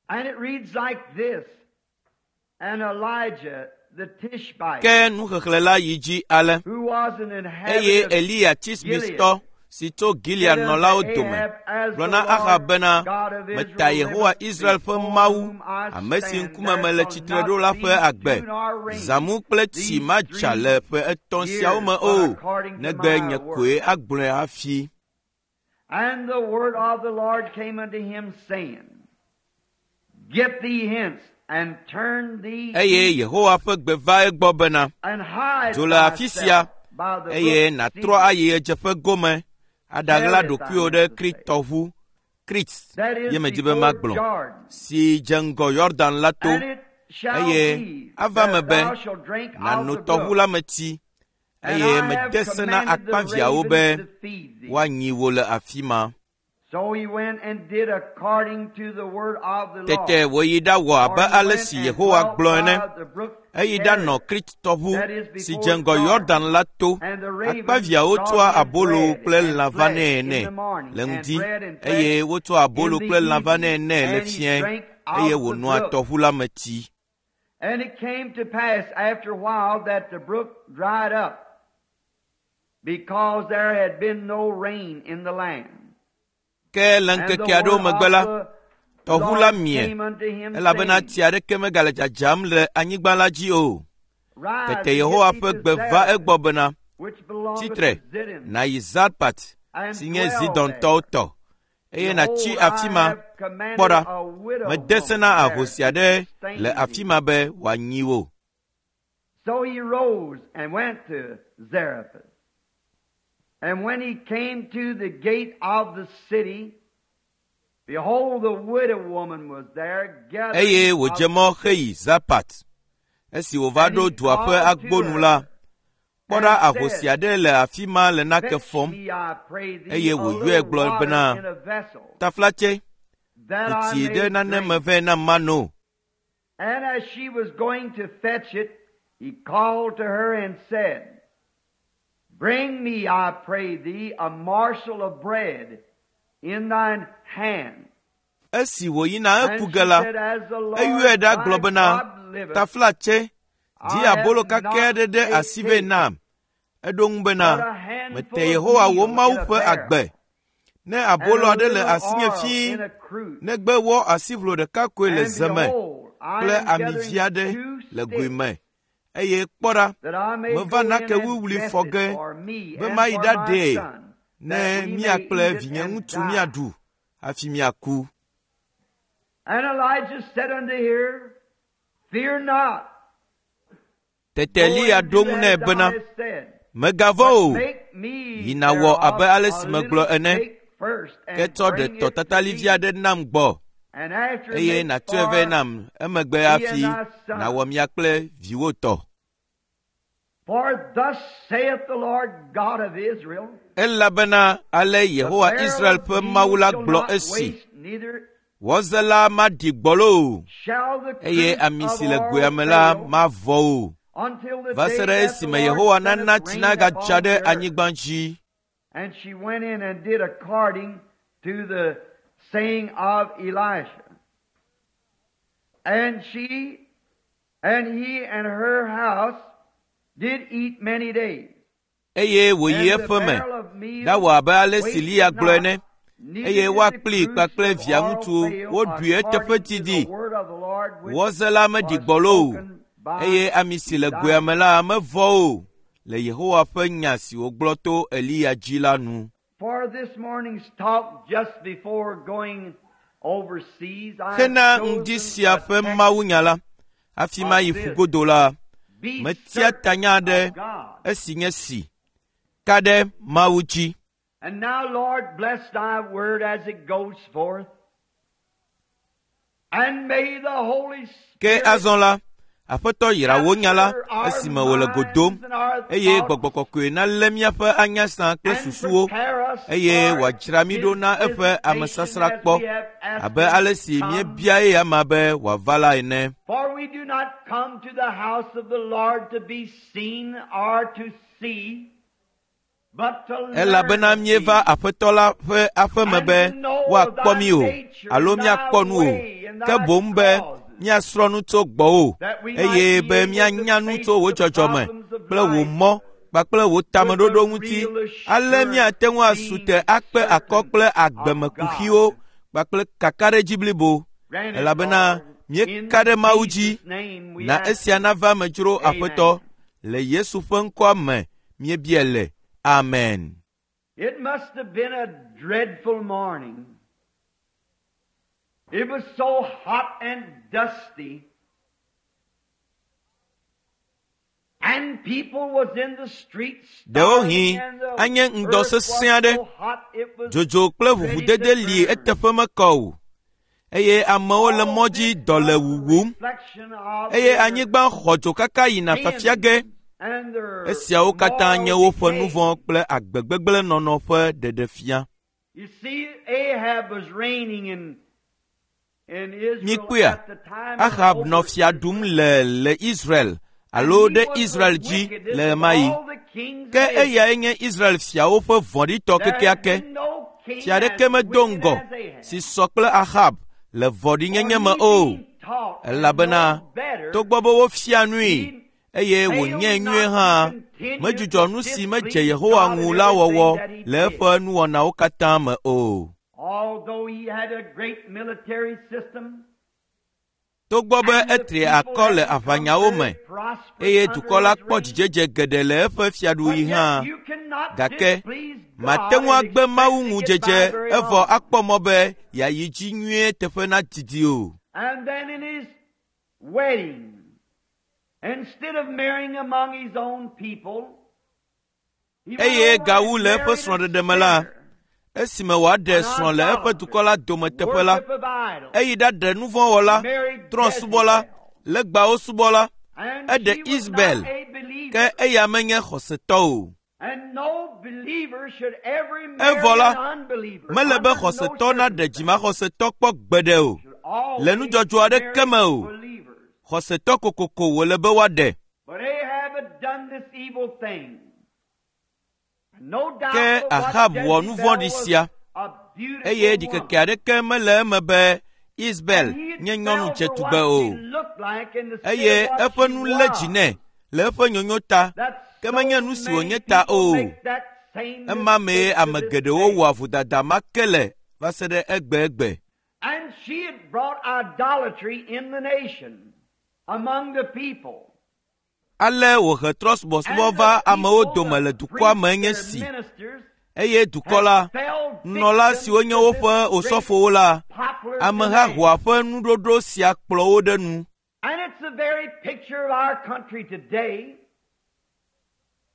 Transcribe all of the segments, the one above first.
And it reads like this And Elijah the Tishbite, Ke nuxexlẽ la yi dzi ale. who was an Eye inhabitant of Eliya Tisbitɔ si tso Gilead nɔlawo dome gblɔ na Ahab bena, Meta Yehowa Israel ƒe Mawu, ame si ŋkume mele tsitre ɖo la ƒe agbe. Zãmu kple tsi madza le ƒe etɔ̃ siawo me o, negbe nye koe agblɔe hafi. And the word of the Lord came unto him, saying, Get thee hence and turn thee Eye east, Yehowa ƒe gbe va egbɔ bena, and hide Dzo le afi sia, thyself by the eye brook nàtrɔ Sidon, ayi ɣedzeƒe gome aɖaɣla ɖokuiwò ɖe Kritɔʋu, Krit that is ye medi be before magblɔ, Jordan. si dze ŋgɔ Yɔdan la to, And it shall eye be ava that me be thou shalt drink of nàno the tɔʋu brook. la me tsi, And eye I mede have se na commanded the akpaviãwo be ravens to feed thee. woanyi wò le afi ma. So he went and did according to the word of the Tete Lord. wòyi ɖawɔ For abe he ale went si and Yehowa dwelt gblɔ ene. by the brook Eyi ɖanɔ Cherith, Krit-tɔʋu that is si before dze ŋgɔ Jordan. Yɔdan la to. And the ravens Akpaviãwo brought tsɔa him abolo bread kple and lã flesh vanɛ in nɛ the morning, le and ŋdi bread and flesh eye wotsɔa abolo in the kple lã vanɛ evening, nɛ le and he fiẽ drank eye of the wònoa brook. tɔʋu la me tsi. And it came to pass after a while that the brook dried up, because there had been no rain in the land. Ke le And the ŋkeke aɖewo word megbe la, of the tɔʋu la Lord mie came unto him, elabena saying, tsi aɖeke megale dzadzam le anyigba la dzi o. Rise Tete and get Yehowa thee ƒe to gbe va Zarephath, egbɔ bena, which belongeth Tsitre, to Zidon, nàyi Zarpat and si nye dwell Zidontɔwo there. tɔ, eye nàtsi Behold, afi I ma. have commanded Kpɔ ɖa, a widow mede se woman na there ahosi to aɖe sustain le thee. afi ma be wòanyi wò. So he rose and went to Zarephath. And when he came to the gate of the city, behold, the widow woman was there gathering Eye of wòdze mɔ heyi Zarpat. Esi wòva And ɖo he dua ƒe called to agbo nu la, her kpɔ ɖa and ahosi said, aɖe le afi ma le nake Fetch fɔm me, I pray thee, eye a wòyɔe little gblɔ water bena, in a vessel, Taflatse, that ku I tsi may ɖe nane me drink. vɛ nam mano. And as she was going to fetch it, he called to her and said, Bring me, I pray thee, a morsel of bread in thine hand. Esi wòyina And eku she ge la, said, As the eyɔe Lord ɖa thy gblɔ bena, God liveth, Taflatse, di I have abolo kakɛ not aɖe ɖe a asi vɛ cake, nam. Eɖo ŋu bena, but a handful Mete of Yehowa wò meal in Mawu a ƒe barrel, agbe. Ne and abolo a aɖe le little asinye oil fii, in a cruse. negbe wɔ asiʋlo ɖeka koe le And ze me behold, I kple am ami vi gathering aɖe two le goe sticks, me. Eye kpɔ ɖa, that I may meva go in nake and wuwlui dress fɔ it ge for me be and mayi for my ɖaɖee son, ne that we mía may kple eat it and vinyeŋutsu die. míaɖu hafi míaku. And Elijah said unto her, Fear not, Tete go Eliya and ɖo do ŋu nɛ as thou bena, hast said, Mègavɔ̃ but o, make me yi nàwɔ abe thereof ale a si megblɔ little ene, cake first, ke and tsɔ ɖe bring it to tɔtatalivi me, aɖe nam gbɔ, and after eye make nàtsɔe vɛ for nam emegbe thee hafi and thy son. nàwɔ mia kple viwò tɔ. For thus saith the Lord God of Israel, Elabena ale The Yehowa barrel Israel of ƒe meal Mawu la shall gblɔ not esi, waste, neither Wɔze la maɖi gbɔlo o, shall the eye cruse ami of si le oil goea me la fail, mavɔ o, until the va se day ɖe that the esime Lord Yehowa nana sendeth tsi rain nagadza upon ɖe the earth. anyigba dzi. And she went in and did according to the saying of Elisha. And she and he and her house did eat many days. Eye wòyi And the eƒe me barrel of meal ɖawɔ abe ale si wasted Eliya gblɔ not, ene, neither eye did woa the kplii cruse kpakple of via oil ŋutsuwo fail woɖui eteƒe according to the didi. word of the Lord which Wɔze la meɖi was gbɔlo o, spoken by eye ami si le goea Elisha. me la mevɔ o, le Yehowa ƒe nya si wògblɔ to Eliya dzi la nu. For this morning's talk, just before going overseas, I have Hena ŋdi chosen sia a ƒe text mawunya la, hafi of mayi this. ƒugodo la, Be metia certain tanya aɖe of God. esi nye si, ka ɖe Mawu dzi. And now, Lord, bless thy word as it goes forth. And may the Holy Ke Spirit azɔ la, Aƒetɔ yra wò nya la capture our esime wòle go dom, minds and our eye thoughts Gbɔgbɔ Kɔkɔe nalé míaƒe anyasã kple and susuwo, prepare us eye for wòadzra mí his ɖo na eƒe visitation amesasra as kpɔ we have asked abe him ale to si come. míebia eya be wòava la ene. For we do not come to the house of the Lord to be seen or to see, Elabena míeva Aƒetɔ la ƒe aƒeme be woakpɔ mí o alo míakpɔ nu o, ke boŋ be míasrɔ̃ nu tso gbɔwò eye be míanya nu tso wò dzɔdzɔme kple wò mɔ kpakple wò tameɖoɖo ŋuti ale míate ŋu asu te akpe akɔ kple agbemekuxiwo kpakple kakaɖedzi blibo elabena míeka ɖe Mawu dzi. Na esia nava eme dzro Aƒetɔ le Yesu ƒe ŋkɔa me míebia le. Amen. It must have been a dreadful morning. It was so hot and dusty. And people was in the streets. Ɖewohĩ anye ŋdɔ sesẽ aɖe. Dzodzo kple ʋuʋudede li eteƒe mekɔ o eye amewo le mɔ dzi dɔ le wuwum eye anyigba xɔ dzo kaka yina fafia ge. Esiawo katã nye woƒe nu vɔ̃ kple agbegbegblẽnɔnɔ ƒe ɖeɖefia. Mikpɔea, Ahab nɔ fia ɖum le le Israel alo ɖe Israel dzi le ɣemaɣi. Ke eyae nye Israel fiawo ƒe vɔ̃ɖitɔ kekeake. Fia aɖeke medo ŋgɔ si sɔ kple Ahab le vɔ̃ɖinyenye me o, elabena togbɔ be wofia nui eye wònyae nyuie hã, medzudzɔ nu si medze Yehowa ŋu la wɔwɔ le eƒe nuwɔnawo katã me o. Togbɔ be etri akɔ le aʋanyawo me eye dukɔ la kpɔ dzidzedze geɖe le eƒe fiaɖuɣi hã, gake mate ŋu agbe Mawu ŋu dzedze evɔ akpɔ mɔ be yeayi dzi nyuie teƒe nadidi o. Eye gawu le eƒe srɔ̃ɖeɖe me la, esime wòaɖe srɔ̃ le eƒe dukɔ la dome teƒe la, eyi ɖaɖe nu vɔ̃ wɔla, trɔ̃subɔla, legbawo subɔla, eɖe Isabel, ke eya menye xɔsetɔ o. Evɔ la, mele be xɔsetɔ naɖe dzimaxɔsetɔ kpɔ gbeɖe o, le nudzɔdzɔ aɖeke me o. Xɔsetɔ kokoko wòle be woaɖe. Ke Ahab wɔ nu vɔ̃ɖi sia eye ɖikeke aɖeke mele eme be Isabel nye nyɔnu dzetugbe o eye eƒe nu lé dzi nɛ le eƒe nyonyo ta ke menye nu si wònye ta o. Ema mee ame geɖewo wɔa vodada ma ke le va se ɖe egbegbe. And she had brought idolatry in the nation among the people. Ale wòhe trɔ̃subɔsubɔ va amewo dome le dukɔa me nye si eye dukɔ la, nunɔla siwo nye woƒe osɔfowo la, ameha hoa ƒe nuɖoɖo sia kplɔ wo ɖe nu. And it's the very picture of our country today.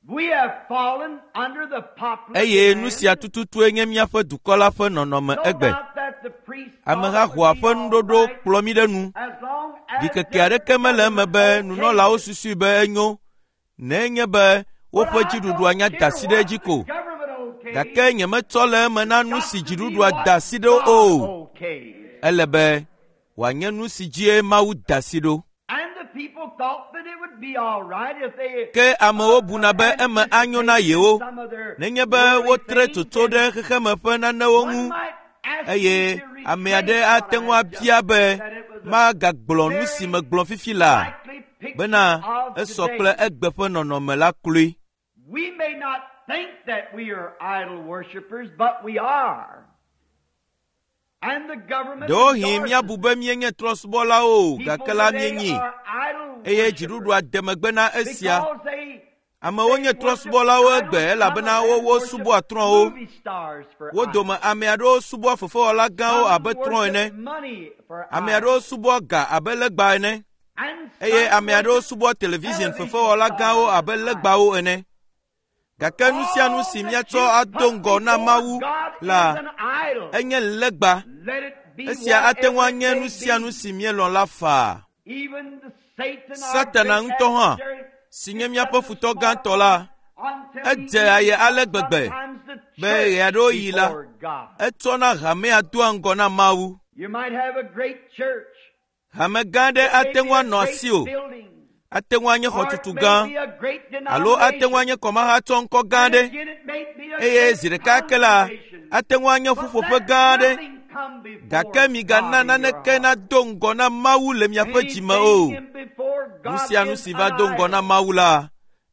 We have fallen under the popular Eye nu demand. sia tututue nye míaƒe dukɔ la ƒe nɔnɔme No egbe. doubt that the priests thought Ameha it would hoa be ƒe all nuɖoɖo right kplɔ mí ɖe nu. as long as Ɖikeke their aɖeke mele eme be government nunɔlawo okayed it. susui be enyo nenye be But woƒe I dziɖuɖua don't nya care da asi ɖe what edzi the ko. government okays. Gake nyemetsɔ le eme na nu Got si to be dziɖuɖua what da asi ɖo God o. okays. Ele be wòanye nu si dzie Mawu da asi ɖo. And the people thought that it would be all right if they Ke amewo buna be eme anyo na yewo some of their nenye be worldly wotre things tsotso and ɖe xexeme ƒe nanewo one ŋu might ask eye me to ame aɖe retrace what ate ŋu I have abia just be said, that it was a magagblɔ nu si megblɔ fifi laa likely picture bena of esɔ today. kple egbe ƒe nɔnɔme la kloe. We may not think that we are idol worshippers, but we are. And the government Ɖewohĩ endorses míabu be míenye trɔ̃subɔlawo o, People gake la today míenyi are idol eye worshippers dziɖuɖua de megbe na esia. because they Amewo nye trɔ̃subɔlawo egbe elabena wowo subɔa trɔ̃wo. Wo dome ame aɖewo subɔa fefewɔla gãwo abe trɔ̃ ene, ame aɖewo subɔa ga abe legba ene, eye ame aɖewo subɔa television fefewɔla gãwo abe legbawo ene. Gake nu sia nu si míatsɔ ado ŋgɔ na Mawu la enye legba. Esia ate ŋu anye nu sia nu si míelɔ̃ la faa. Satana ŋutɔ hã, si nye míaƒe futɔ gãtɔ la, edze aye ale gbegbe be ɣeaɖewoɣi la, etsɔna hamea doa ŋgɔ na Mawu. You might have a great church. Hame gã aɖe ate ŋu anɔ Maybe a asiwò great building. Ate ŋu anye Or xɔtutu it may gã be a great alo ate ŋu denomination. anye kɔmahatsɔ ŋkɔ gã And aɖe again, it may be a eye great zi ɖeka ke la congregation. ate ŋu anye But ƒuƒoƒe let gã aɖe nothing come before gake migana God in your naneke heart. nado ŋgɔ na Mawu le miaƒe dzime o. Anything in before Nu God sia nu is si va an do ŋgɔ na idol. Mawu la,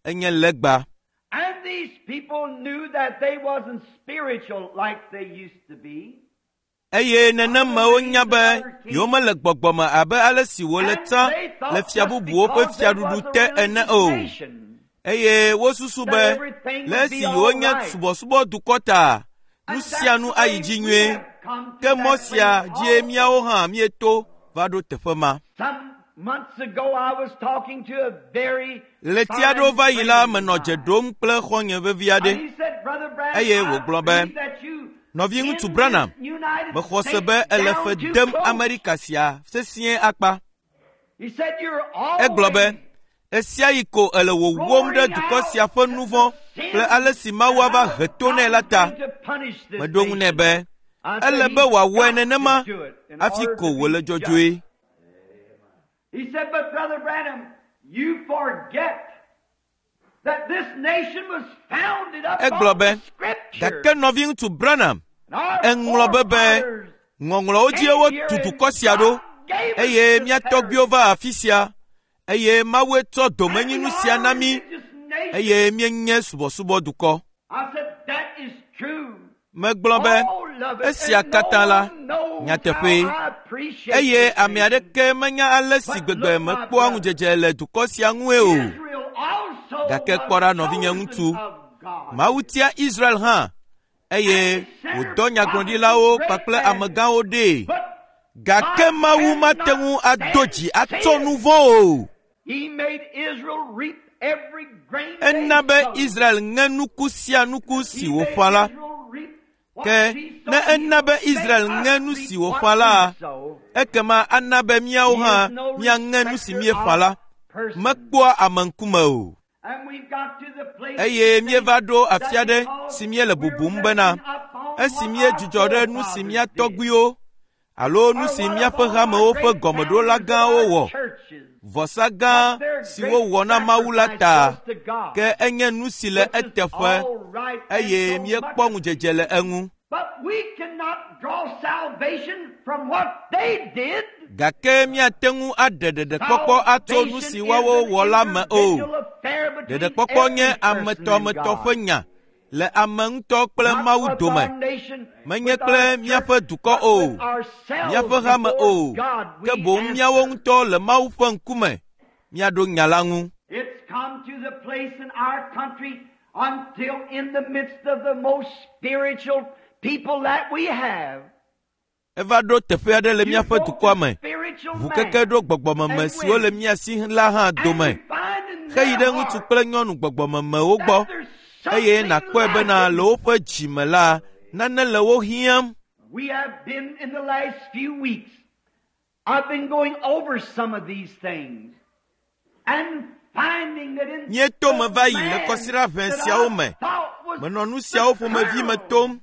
enye legba. And these people knew that they wasn't spiritual like they used to be. Eye nenemewo nya be yewomele gbɔgbɔme abe ale si wòle And tsã they le thought fia just bubuwo ƒe because they fiaɖuɖu was a te ene religious o. nation Eye wosusu that be everything le would esi be all yewonye right. subɔsubɔdukɔ ta, nu And sia that's nu the ayi way dzi we nyuie. have come Ke to mɔ that sia place dzie also. míawo hã míeto va ɖo teƒe ma. Some months ago, I was talking to a very Ɣleti aɖewo fine va yi la, friend of menɔ dze mine. ɖom kple xɔ̃nye vevi And aɖe. he said, Brother Branham, Eye I wògblɔ be, believe that you Nɔviŋutsu in Branham, this United mexɔ se States be ele down fe too dem close. Amerika sia sesĩe akpa. He said, You're Egblɔ be, always ɣesiaɣi ko ele wòwom ɖe roaring dukɔ out sia ƒe at nu the vɔ̃ kple sin ale si Mawu and ava how he to nɛ God la is ta. going to punish this Meɖo ŋu nɛ nation. be, I said, ele be He's wòawɔe got to nenema do it in hafi order ko to wòle be just. dzɔdzɔe. He said, But Brother Branham, you forget that this nation was founded Egblɔ upon be, the Scripture. gake nɔviŋutsu Branham, And our eŋlɔ be be forefathers ŋɔŋlɔwo dzie came here wotu and dukɔ sia ɖo God gave us eye this mía tɔgbuiwo heritage. va afi sia eye Mawue tsɔ And we domenyinu sia are na a mí religious nation. eye míenye subɔsubɔdukɔ. I said, That is true. Megblɔ be Oh, love it. esia And no katã la one knows how nyateƒee I appreciate eye this ame nation. aɖeke menya ale si But gbegbe look, my mekpɔa brother, ŋudzedze le dukɔ sia ŋue o. Israel also Gake was kpɔ ɖa nɔvinye chosen ŋutsu, of God. Mawu tia Israel hã eye And he sent her wòdɔ prophets and nyagblɔɖilawo great kpakple men. amegãwo ɖee. But Gake God Mawu mate cannot ŋu ado stand dzi atsɔ nu sin. vɔ̃ o. He made Israel reap every grain they Ena be sowed. Israel ŋe nuku sia nuku si He made wòƒã la. Israel reap what Ke she ne sowed. He ena be will make Israel us ŋe nu reap si what wòƒã we la, sow. ekema ana be míawo He hã is no míaŋe nu si respecter míeƒã of la. persons. Mekpɔa ame ŋkume o. And we've got to the place Eye to think míeva ɖo that afi aɖe because si míele we're bubum bena resting upon esi what our míedzudzɔ ɖe nu si forefathers mía did, tɔgbuiwo alo nu or si what míaƒe upon our hamewo ƒe great gɔmeɖola founders of gãwo our wɔ, churches, vɔsa gã what their si great wowɔ na Mawu la sacrifice ta, was to God, ke enye nu si le which is eteƒe all right and eye so míekpɔ much. ŋudzedze le eŋu. But we cannot draw salvation from what they did. Gake míate ŋu aɖe ɖeɖekpɔkpɔ atso nu Salvation si is woawo an wɔ la me o. individual affair between Ɖeɖekpɔkpɔ nye every person and ametɔametɔ God. ƒe nya le ame ŋutɔ kple Not Mawu with dome. our nation, Menye with kple our míaƒe church, dukɔ but o, with ourselves míaƒe hame before o, God ke we boŋ míawo answer. ŋutɔ le Mawu ƒe ŋkume míaɖo nya la ŋu. It's come to the place in our country until in the midst of the most spiritual people that we have, Eva ɖo teƒe aɖe le you míaƒe go to dukɔa me. spiritual Ʋukeke man ɖo gbɔgbɔmeme and siwo le women, mía si la hã and dome. you find in Heyi their ɖe ŋutsu heart kple nyɔnu gbɔgbɔmemewo gbɔ that there's eye something nàkpɔe bena le lacking. woƒe dzime la, nane le wo hiãm. We have been in the last few weeks. I've been going over some of these things and finding that in Míeto the me va yi le man kɔsiɖa ʋɛ that siawo I me. thought was Menɔ nu the siawo ƒomevi me crown, tom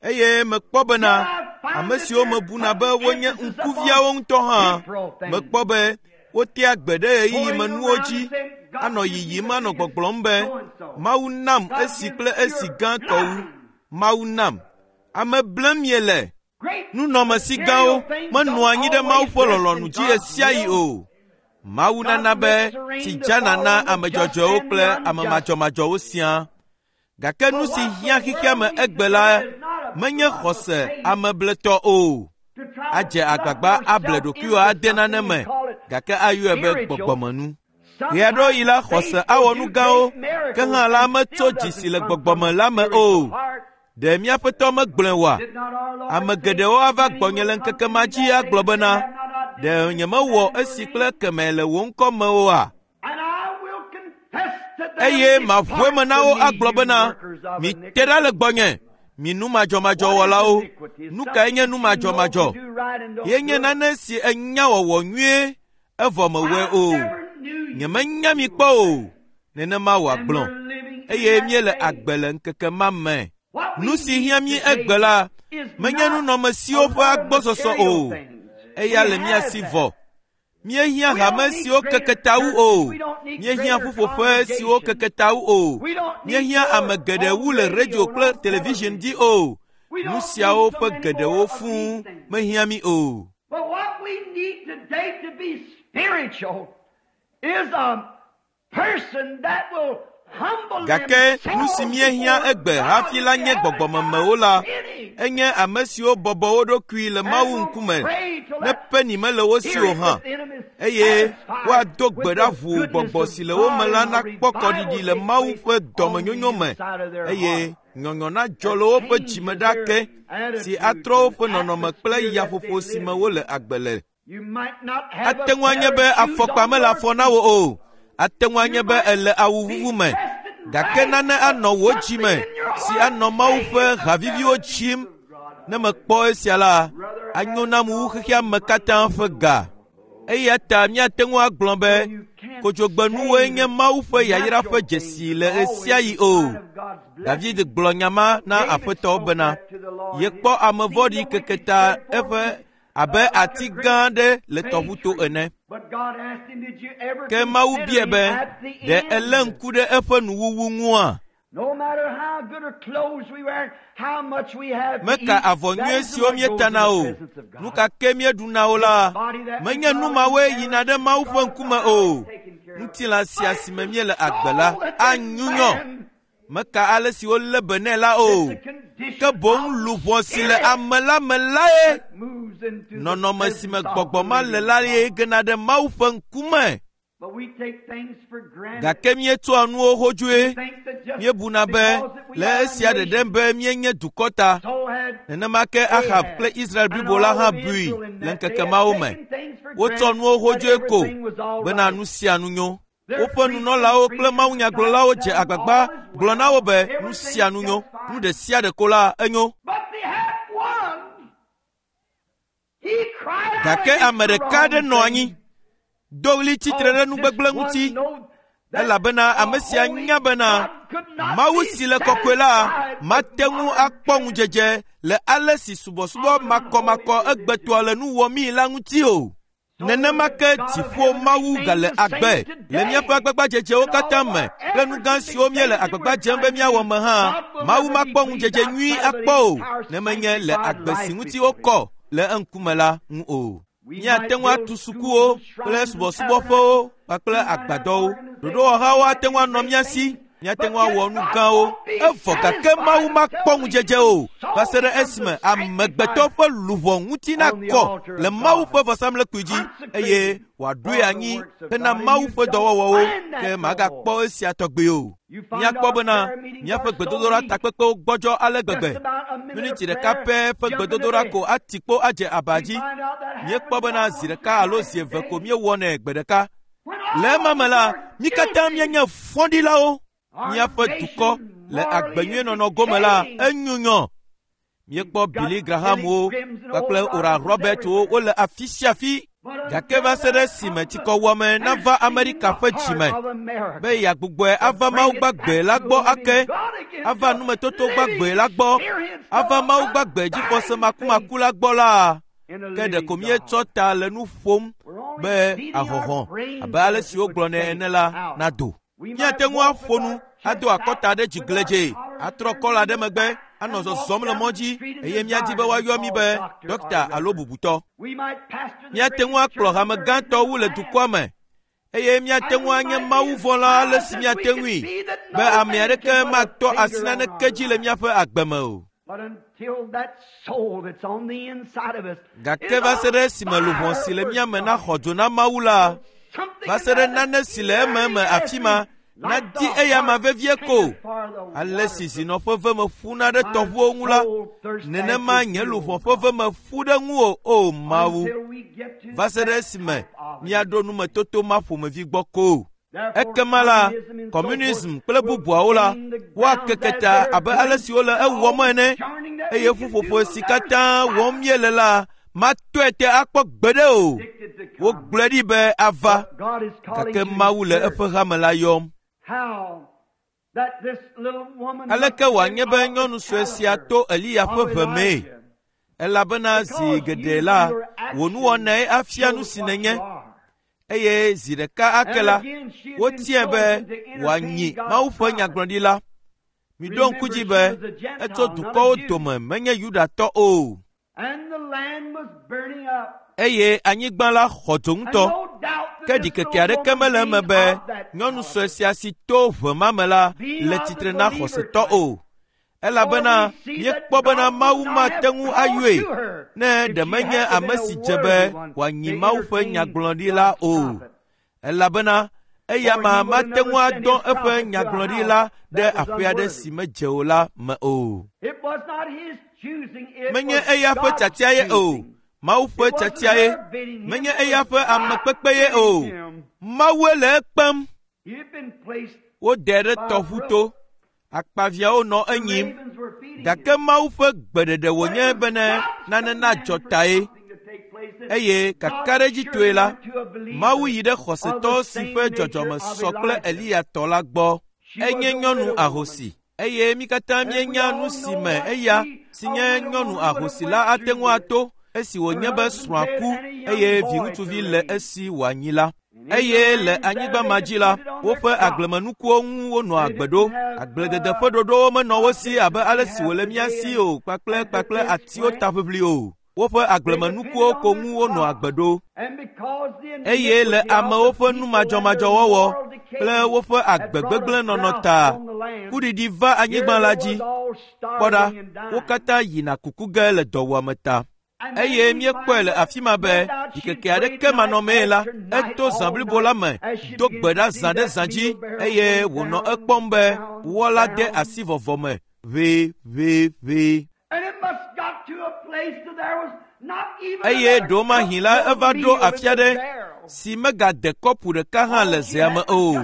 eye mekpɔ yet bena I find ame that siwo they're mebuna be putting wonye emphasis upon ŋkuviawo ŋutɔ hã, temporal things, mekpɔ be wotea gbe ɖe ɣeyiɣi going me nuwo around dzi and saying, God anɔ gives me yiyim the anɔ biggest gbɔgblɔm be so and so. Mawu nam God esi gives kple esi you're gãtɔ wu. nothing. Mawu nam. Ame blem miele. Great Nunɔamesi material gãwo things menɔa don't anyi ɖe Mawu always ƒe rest in lɔlɔ̃nu dzi God's ɣesiaɣi will. o. Mawu God nana be makes the tsi rain to dzana fall na on the ame just dzɔdzɔewo and the kple ame unjust. madzɔmadzɔwo siaa. Gake nu But si what hiã the xexea world me needs egbe today la is not a menye bluff of xɔse faith amebletɔ o. to try to Adze bluff agbagba able yourself ɖokuiwò into ade something nane and me, call it gake ayɔe be spiritual. gbɔgbɔmenu. Ɣeaɖewoɣi Sometimes la faith xɔse will awɔ nu do gãwo, great ke miracles hã la and metso still dzi si doesn't le come from gbɔgbɔme a la me spiritual o. heart. Ɖe míaƒetɔ megblɔe oa? Did not our Lord Ame say, geɖewo ava Many gbɔnye will le come ŋkeke to ma me dzi that day agblɔ and say, bena, Have not I done ɖe this nyemewɔ and that in esi your kple name? kemɛ le wò ŋkɔ me oa? And I will confess to them, Eye maʋu Depart eme na wo from me, agblɔ you bena, workers of mite ɖa le iniquity. gbɔnye, mi nu What is madzɔmadzɔwɔlawo. iniquity? It's Nu kae nye something nu that you know to madzɔmadzɔ? do right and don't Ye nye do it. nane si enya wɔwɔ nyuie, evɔ mewɔe I o. never knew you, Nyemenya mi you kpɔ will o. say. Nenema And wòagblɔ. we're living in Eye that míele day. agbe le ŋkeke ma me. What Nu we si need hiã mí today egbe la, is menye not nunɔamesiwo a ƒe lot of agbɔsɔsɔ material o. things. Eya We le mía have si that. vɔ. Míehiã hame siwo keke ta wu o. Míehiã ƒuƒoƒe siwo keke ta wu o. Míehiã ame geɖe wu le radio kple television dzi o. Nu siawo ƒe geɖewo fũu mehiã mí o. But what we need today to be spiritual is a person that will humble Gake nu si míehiã egbe hafi la nye gbɔgbɔmemewo la, enye ame siwo bɔbɔ wo ɖokui le Mawu ŋkume ne peni mele wo si o hã, eye woado gbe ɖa ʋuu gbɔgbɔ si le wo me la nakpɔ kɔɖiɖi le Mawu ƒe dɔmenyonyo me, eye nyɔnyɔ nadzɔ le woƒe dzime ɖa ke si atrɔ woƒe nɔnɔme kple yaƒoƒo si me wole agbe le. Ate ŋu anye be afɔkpa mele afɔ na wò o. Ate ŋu anye be èle awu vuvu me, gake nane anɔ wò dzime si anɔ Mawu ƒe haviviwo tsim. Ne mekpɔ esia la, anyo nam wu xexea me katã ƒe ga. Eya ta míate ŋu agblɔ be kodzogbenuwoe nye Mawu ƒe yayra ƒe dzesi le ɣe sia ɣi o. David gblɔ nya ma na Aƒetɔ bena yekpɔ ame vɔ̃ɖi keke ta eƒe abe ati gã aɖe le tɔʋuto ene. But God asked him, Did you ever Ke Mawu consider biae him be, at the ɖe end? elé ŋku ɖe eƒe nuwuwu ŋua? No matter how good a clothes we wear, how much we have to Meka eat, avɔ that nyuie isn't siwo what goes in míetana the o. presence of God. Nu ka ke míeɖuna o la, menye nu mawoe yina ɖe Mawu ƒe ŋkume o. Ŋutilã sia si me míele agbe la anyunyɔ. Meka ale si wolé be nɛ la o. Ke boŋ luʋɔ si le ame la me lae Moves into the nɔnɔme si me presence of gbɔgbɔ the ma le living la God. ye gena ɖe Mawu ƒe ŋkume. But we take things for granted. Gake míetsɔa nuwo hodzoe. Think that just Míebuna be because that we le are a esia ɖeɖe nation, be míenye dukɔ ta. so had Nenema ke Ahab kple Israel blibo la hã bui le ŋkeke mawo me. Wotsɔ nuwo hodzoe ko bena nu sia nu nyo. Woƒe nunɔlawo kple mawunyagblɔlawo dze agbagba gblɔ na wo be nu sia nu nyo, nu ɖe sia ɖe ko la enyo. But they had one. He cried out Gake against ame the ɖeka wrong aɖe nɔ anyi, thing. do ɣli tsitre ɖe nugbegblẽ ŋuti, elabena ame sia nya bena Mawu si le kɔkɔe la mate ŋu akpɔ ŋudzedze le ale si subɔsubɔ makɔmakɔ egbetɔa le nu wɔmii la ŋuti o. Nenema ke dziƒo Mawu gale agbe le míaƒe agbagbadzedzewo katã me kple nu gã siwo míele agbagba dzem be míawɔ me hã, Mawu makpɔ ŋudzedze nyui akpɔ o ne menye le agbe si ŋuti wokɔ le eŋkume la ŋu o. Míate ŋu atu sukuwo kple subɔsubɔƒewo kpakple agbadɔwo. Ɖoɖowɔhawo ate ŋu anɔ mía si. Míate ŋu awɔ nu gãwo. Evɔ gake Mawu makpɔ ŋudzedze o va se ɖe esime amegbetɔ ƒe luʋɔ ŋuti nakɔ le Mawu ƒe vɔsamlekpui dzi eye wòaɖoe anyi hena Mawu ƒe dɔwɔwɔwo ke magakpɔ esia tɔgbi o. Míakpɔ bena míaƒe gbedodoɖa takpekpewo gbɔdzɔ ale gbegbe. Miniti ɖeka pɛ ƒe gbedodoɖa ko ati kpo adze aba dzi. Míekpɔ bena zi ɖeka alo zi eve ko míewɔnɛ gbe ɖeka. Le ema me la, mí katã míenye fɔɖilawo. Míaƒe dukɔ le agbenyuienɔnɔ gome la enyunyɔ. Míekpɔ Billy Grahamwo kpakple Oral Robertwo wole afi sia afi. Gake va se ɖe esime tsikɔwuame nava Amerika ƒe dzime be yeagbugbɔe ava Mawu gbagbe la gbɔ ake, ava numetoto gbagbe la gbɔ, ava Mawu gbagbe dzixɔse makumaku la gbɔ la, ke ɖeko míetsɔ ta le nu ƒom be ahɔhɔ̃ abe ale si wogblɔnɛ ene la nado. Míate ŋu aƒo nu ado akɔta ɖe dzi gledzee, atrɔ kɔla ɖe megbe, anɔ zɔzɔm le mɔ dzi eye míadi be woayɔ mí be dɔkta alo bubutɔ. Míate ŋu akplɔ hame gãtɔ wu le dukɔa me eye míate ŋu anye mawuvɔ̃la ale si míate ŋui be ame aɖeke matɔ asi naneke dzi le míaƒe agbe me o. Gake va se ɖe esime luʋɔ si le mía me naxɔ dzo na Mawu la, va se ɖe nane si le ememe afi ma nadi eyama vevie ko. Ale si zinɔ ƒe veme ƒuna ɖe tɔʋuwo ŋu la, nenema nye luʋɔ ƒe veme ƒu ɖe ŋuwò, o Mawu. Va se ɖe esime míaɖo numetoto ma ƒomevi gbɔ ko. Ekema la, communism kple bubuawo la, woakeke ta abe ale si wole ewɔm ene eye ƒuƒoƒo si katã wɔm míele la matɔe te akpɔ gbeɖe o. Wogblɔe ɖi be ava, gake Mawu le eƒe hame la yɔm. Aleke wòanye be nyɔnu sue sia to Eliya ƒe ʋe mee? Elabena zi geɖe la, wò nuwɔnae afia nu si nènye. Eye zi ɖeka ake la, wotiae be wòanyi Mawu ƒe nyagblɔɖila. Miɖo ŋku dzi be etso dukɔwo dome menye Yudatɔ o. Eye anyigba la xɔ dzo ŋutɔ. Ke ɖikeke aɖeke mele eme be nyɔnu sue sia si to ʋe ma me la le tsitre na xɔsetɔ o. Elabena míekpɔ bena Mawu mate ŋu ayɔe ne ɖe menye ame si dze be wòanyi Mawu ƒe nyagblɔɖila o. Elabena eya ma mate ŋu adɔ eƒe nyagblɔɖila ɖe aƒe aɖe si medze o la me o. Menye eya ƒe tiatia ye o. Mawu ƒe tiatia ye. Menye eya ƒe amekpekpe ye o. Mawue le ekpem. Wodɛ ɖe tɔʋu to. Akpaviawo nɔ enyim. Gake Mawu ƒe gbeɖeɖe wònye bene nane nadzɔ tae. Eye kakaɖedzitɔe la, Mawu yi ɖe xɔsetɔ si ƒe dzɔdzɔme sɔ kple Eliya tɔ la gbɔ. Enye nyɔnu ahosi. Eye mí katã míenya nu si me eya si nye nyɔnu ahosi la ate ŋu ato esi wònye be srɔ̃a ku eye viŋutsuvi le esi wòanyi la. Eye le anyigba ma dzi la, woƒe agblemenukuwo ŋu wonɔa agbe ɖo. Agbledede ƒe ɖoɖowo menɔ wo si abe ale si wòle mía si o kpakple kpakple atiwo taʋiʋli o. Woƒe agblemenukuwo ko ŋu wonɔa agbe ɖo. Eye le amewo ƒe numadzɔmadzɔwɔwɔ kple woƒe agbe gbegblẽ nɔnɔ ta, kuɖiɖi va anyigba la dzi. Kpɔ ɖa, wo katã yina kuku ge le dɔwuame ta. Eye míekpɔe le afi ma be ɖikeke aɖeke manɔmee la, eto zã blibo la me, do gbe ɖa zã ɖe zã dzi eye wònɔ ekpɔm be wɔ la de asi vɔvɔ me ʋeʋeʋe. Eye ɖewomahi la eva ɖo afi aɖe si megade kɔpu ɖeka hã le zea me o.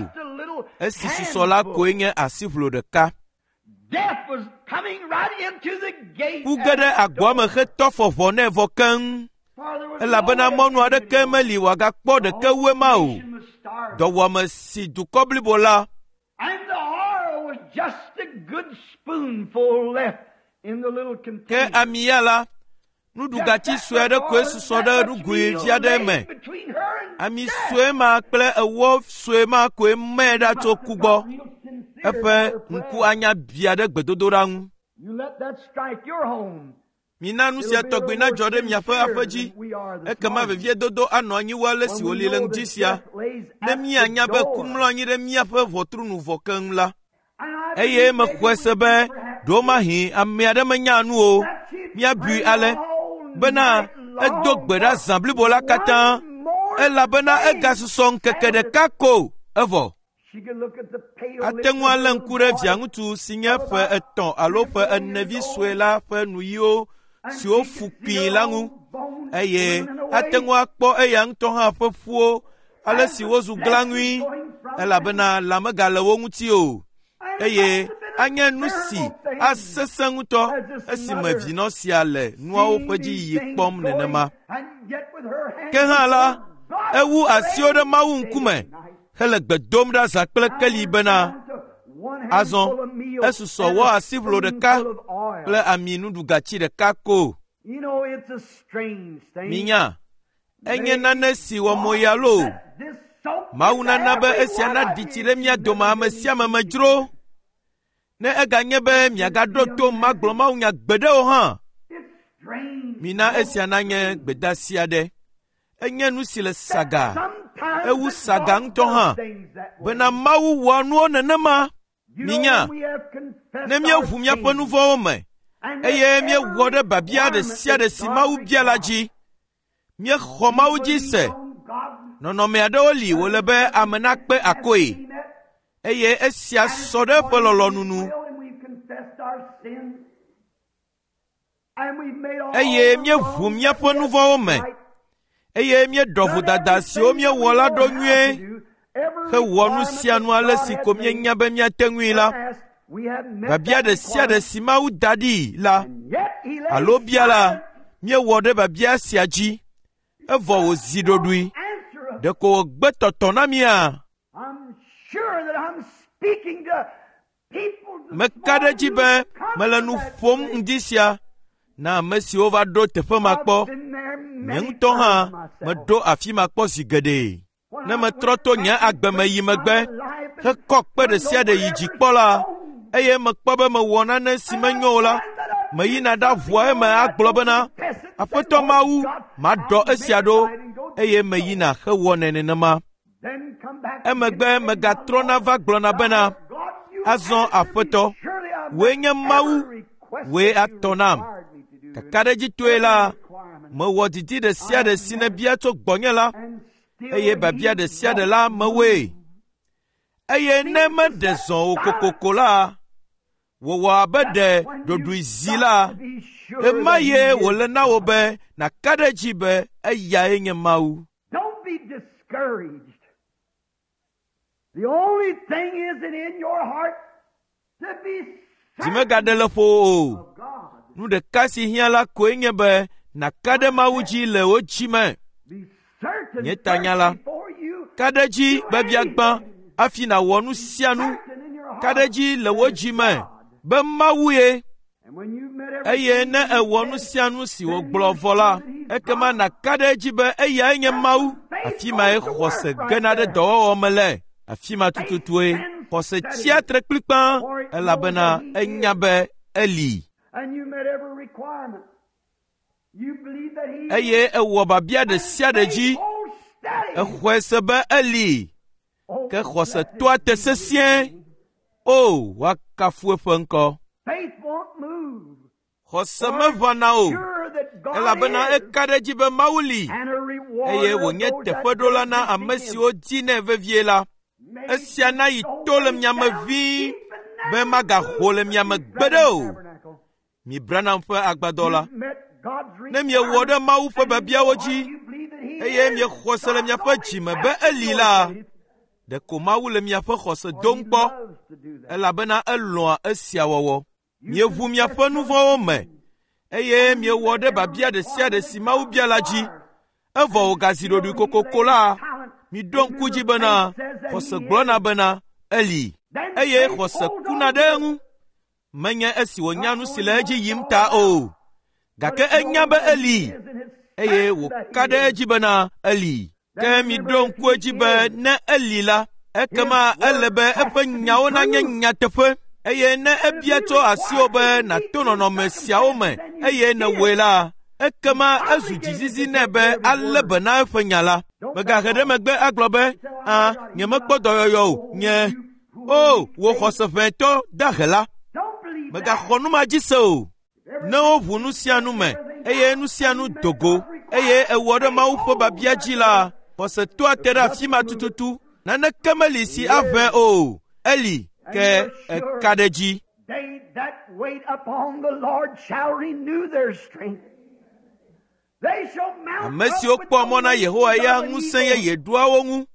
Esi susɔ la koe nye asiʋlo ɖeka. Ku ge ɖe agboa me hetɔ fɔ ʋɔ nɛ vɔ keŋ. Elabena mɔnu aɖeke meli wòagakpɔ ɖeke wu ema o. Dɔwuame si dukɔ blibo la Ke ami ya la, nuɖugatsi sue aɖe koe susɔ ɖe nugoe vi aɖe me. Ami sue ma kple ewɔ sue ma koe mɛ ɖa tso ku gbɔ. Eƒe ŋku anya bia ɖe gbedodoɖa ŋu. Mina nu sia tɔgbi nadzɔ ɖe miaƒe aƒe dzi. Ekema veviedodo anɔ anyi wu ale si wòli le ŋdi sia. Ne míanya be ku mlɔ anyi ɖe míaƒe ʋɔtru nu vɔ keŋ la. Eye mexɔe se be ɖewomahi ame aɖe menya nu o. Míabui ale bena edo gbe ɖa zã blibo la katã elabena egasusɔ ŋkeke ɖeka ko evɔ. Ate ŋu alé ŋku ɖe viaŋutsu si nye ƒe etɔ̃ alo ƒe ene vi sue la ƒe nuyiwo siwo fu kpii la ŋu eye ate ŋu akpɔ eya ŋutɔ hã ƒe ƒuwo ale si wozu glãŋui elabena lã megale wo ŋuti o eye anye nu si asesẽ ŋutɔ esime vinɔ sia le nuawo ƒe dziyiyi kpɔm nenema. Ke hã la, ewu asiwo ɖe Mawu ŋkume hele gbe dom ɖa zã kple keli bena, azɔ esusɔ wɔ asiʋlo ɖeka kple ami nuɖugatsi ɖeka ko. Minya, enye nane si wɔ moya loo. Mawu nana be esia naɖi tsi ɖe mía dome ame sia ame me dzro. Ne eganye be miagaɖo to magblɔ mawunya gbeɖe o hã, mina esia nanye gbedeasi aɖe. Enye nu si le saga, ewu saga ŋutɔ hã, bena Mawu wɔa nuwo nenema. Minya, ne míeʋu míaƒe nu vɔ̃wo me eye míewɔ ɖe biabia ɖe sia ɖe si Mawu bia la dzi, míexɔ Mawu dzi se. Nɔnɔme aɖewo li wòle be ame nakpe akoe eye esia sɔ ɖe eƒe lɔlɔ̃nu nu. Eye míeʋu míaƒe nu vɔ̃wo me eye míeɖɔ vodada siwo míewɔ la ɖo nyuie hewɔ nu sia nu ale si ko míenya be míate ŋui la, biabia ɖe sia ɖe si Mawu da ɖi la alo bia la, míewɔ ɖe biabia sia dzi evɔ wòzi ɖoɖoe. Ɖeko wògbe tɔtɔ na mía? Meka ɖe edzi be mele nu ƒom ŋdi sia na ame siwo va ɖo teƒe ma kpɔ. Nye ŋutɔ hã meɖo afi ma kpɔ zi geɖe. Ne metrɔ to nye agbe me yi megbe hekɔ kpe ɖe sia ɖe yi dzi kpɔ la, eye mekpɔ be mewɔ nane si menyo o la, meyina ɖaʋua eme agblɔ bena, Aƒetɔ Mawu, maɖɔ esia ɖo, eye meyina hewɔnɛ nenema. Emegbe megatrɔna va gblɔna bena, Azɔ Aƒetɔ, wòe nye Mawu, wòe atɔ nam. Kakaɖedzitɔe la, mewɔ didi ɖe sia ɖe si nèbia tso gbɔnye la, eye biabia ɖe sia ɖe la mewɔe. Eye ne meɖe zɔ o kokoko la, wòwɔ abe ɖe ɖoɖoe zi la, ɣemaɣie wòle na wò be nàka ɖe edzi be eyae nye Mawu. Don't be discouraged. The only thing is that in your heart to be Dzi megaɖe le ƒo wò o. of God. Nu ɖeka si hiã la koe nye be nàka ɖe Mawu dzi le wò dzi me. Be certain Nye tanya la, first before you Ka ɖe edzi biabiagbã hafi nàwɔ nu sia nu. certain in your heart Ka ɖe edzi le wò dzi me be Mawu ye. And when you've met Eye everything ne èwɔ nu sia nu si wògblɔ vɔ la, ekema nàka ɖe edzi be eyae nye Mawu. Afi mae xɔse gena ɖe dɔwɔwɔ me le. Afi ma tututue xɔse tsia tre kplikpã elabena enya be eli. and you met every requirement. You believe that he Eye ewɔ biabia ɖe sia ɖe dzi. Hold steady. Exɔe se be eli. Oh, Ke xɔse blessed toa te be sesĩe. O, woakafu eƒe ŋkɔ. Faith won't move. Xɔse meʋãna o, Sure that God elabena is eka ɖe edzi be Mawu li and a rewarder eye of wònye those that teƒeɖola na diligently ame seek him. siwo dinɛ vevie la. May Esia na yi so to le way miame down ʋĩi deep and be never magaho le move miame you gbeɖe Branham o. Tabernacle. Mi Branham ƒe agbadɔ la. You've met God's Ne miewɔ ɖe Mawu ƒe requirements and in biabiawo your dzi heart you believe that he eye is miexɔ se le God's miaƒe only dzi me be eli test la, authority. ɖeko Mawu le miaƒe xɔse For dom he kpɔ loves to do that. elabena elɔ̃a esia wɔwɔ. You Mieʋu miaƒe confess nu your vɔ̃wo me sins eye and you miewɔ met ɖe every biabia ɖe sia ɖe requirement si that Mawu God bia la dzi. requires. Evɔ And wògazi still ɖoɖoe he kokoko lays la, talent. miɖo ŋku dzi Remember, bena faith says that xɔse he gblɔna is. bena eli Then eye faith xɔse holds kuna on ɖe to it, eŋu. Menye esi wònya not nu si knowing le what edzi it's yim all ta about, o, but gake it enya knows be that he eli is and it's eye certain that wòka he ɖe is. edzi bena eli. Ke Then miɖo remember, if ŋku he edzi be is, ne eli la, his ekema ele word be has eƒe to be nyawo nanye true. nyateƒe. Eye ne And if ebia he tso asiwò requires be you to meet nàto these nɔnɔme siawo me circumstances and you eye did nèwɔe it, la, ekema he's ezu obligated dzizizi to nɛ take be care of his alé word. be na eƒe nya la. Don't back Mègahe ɖe off. megbe agblɔ be, You say, well, I "Ã, never got healed. nyemekpɔ I, dɔyɔyɔ o, oh, nye you poor, o, weak wò faith. xɔse ʋɛtɔ dahe la." Don't believe that. Mègaxɔ nu ma dzi se o. If Ne everything woʋu nu sia nu me everything eye out, nu sia and nu you met do go God's eye requirement, ewɔ ɖe faith Mawu ƒe holds biabia right dzi la, there. xɔse toa te There's ɖe afi nothing ma to move it. tututu. Naneke meli si He aʋẽ is. o. Eli And ke you're eka sure ɖe edzi. they that wait upon the Lord shall renew their strength. They shall mount Ame up siwo with kpɔa the mɔ na wings Yehowa ya of an ŋusẽ eagle. yeye ɖoa wo ŋu.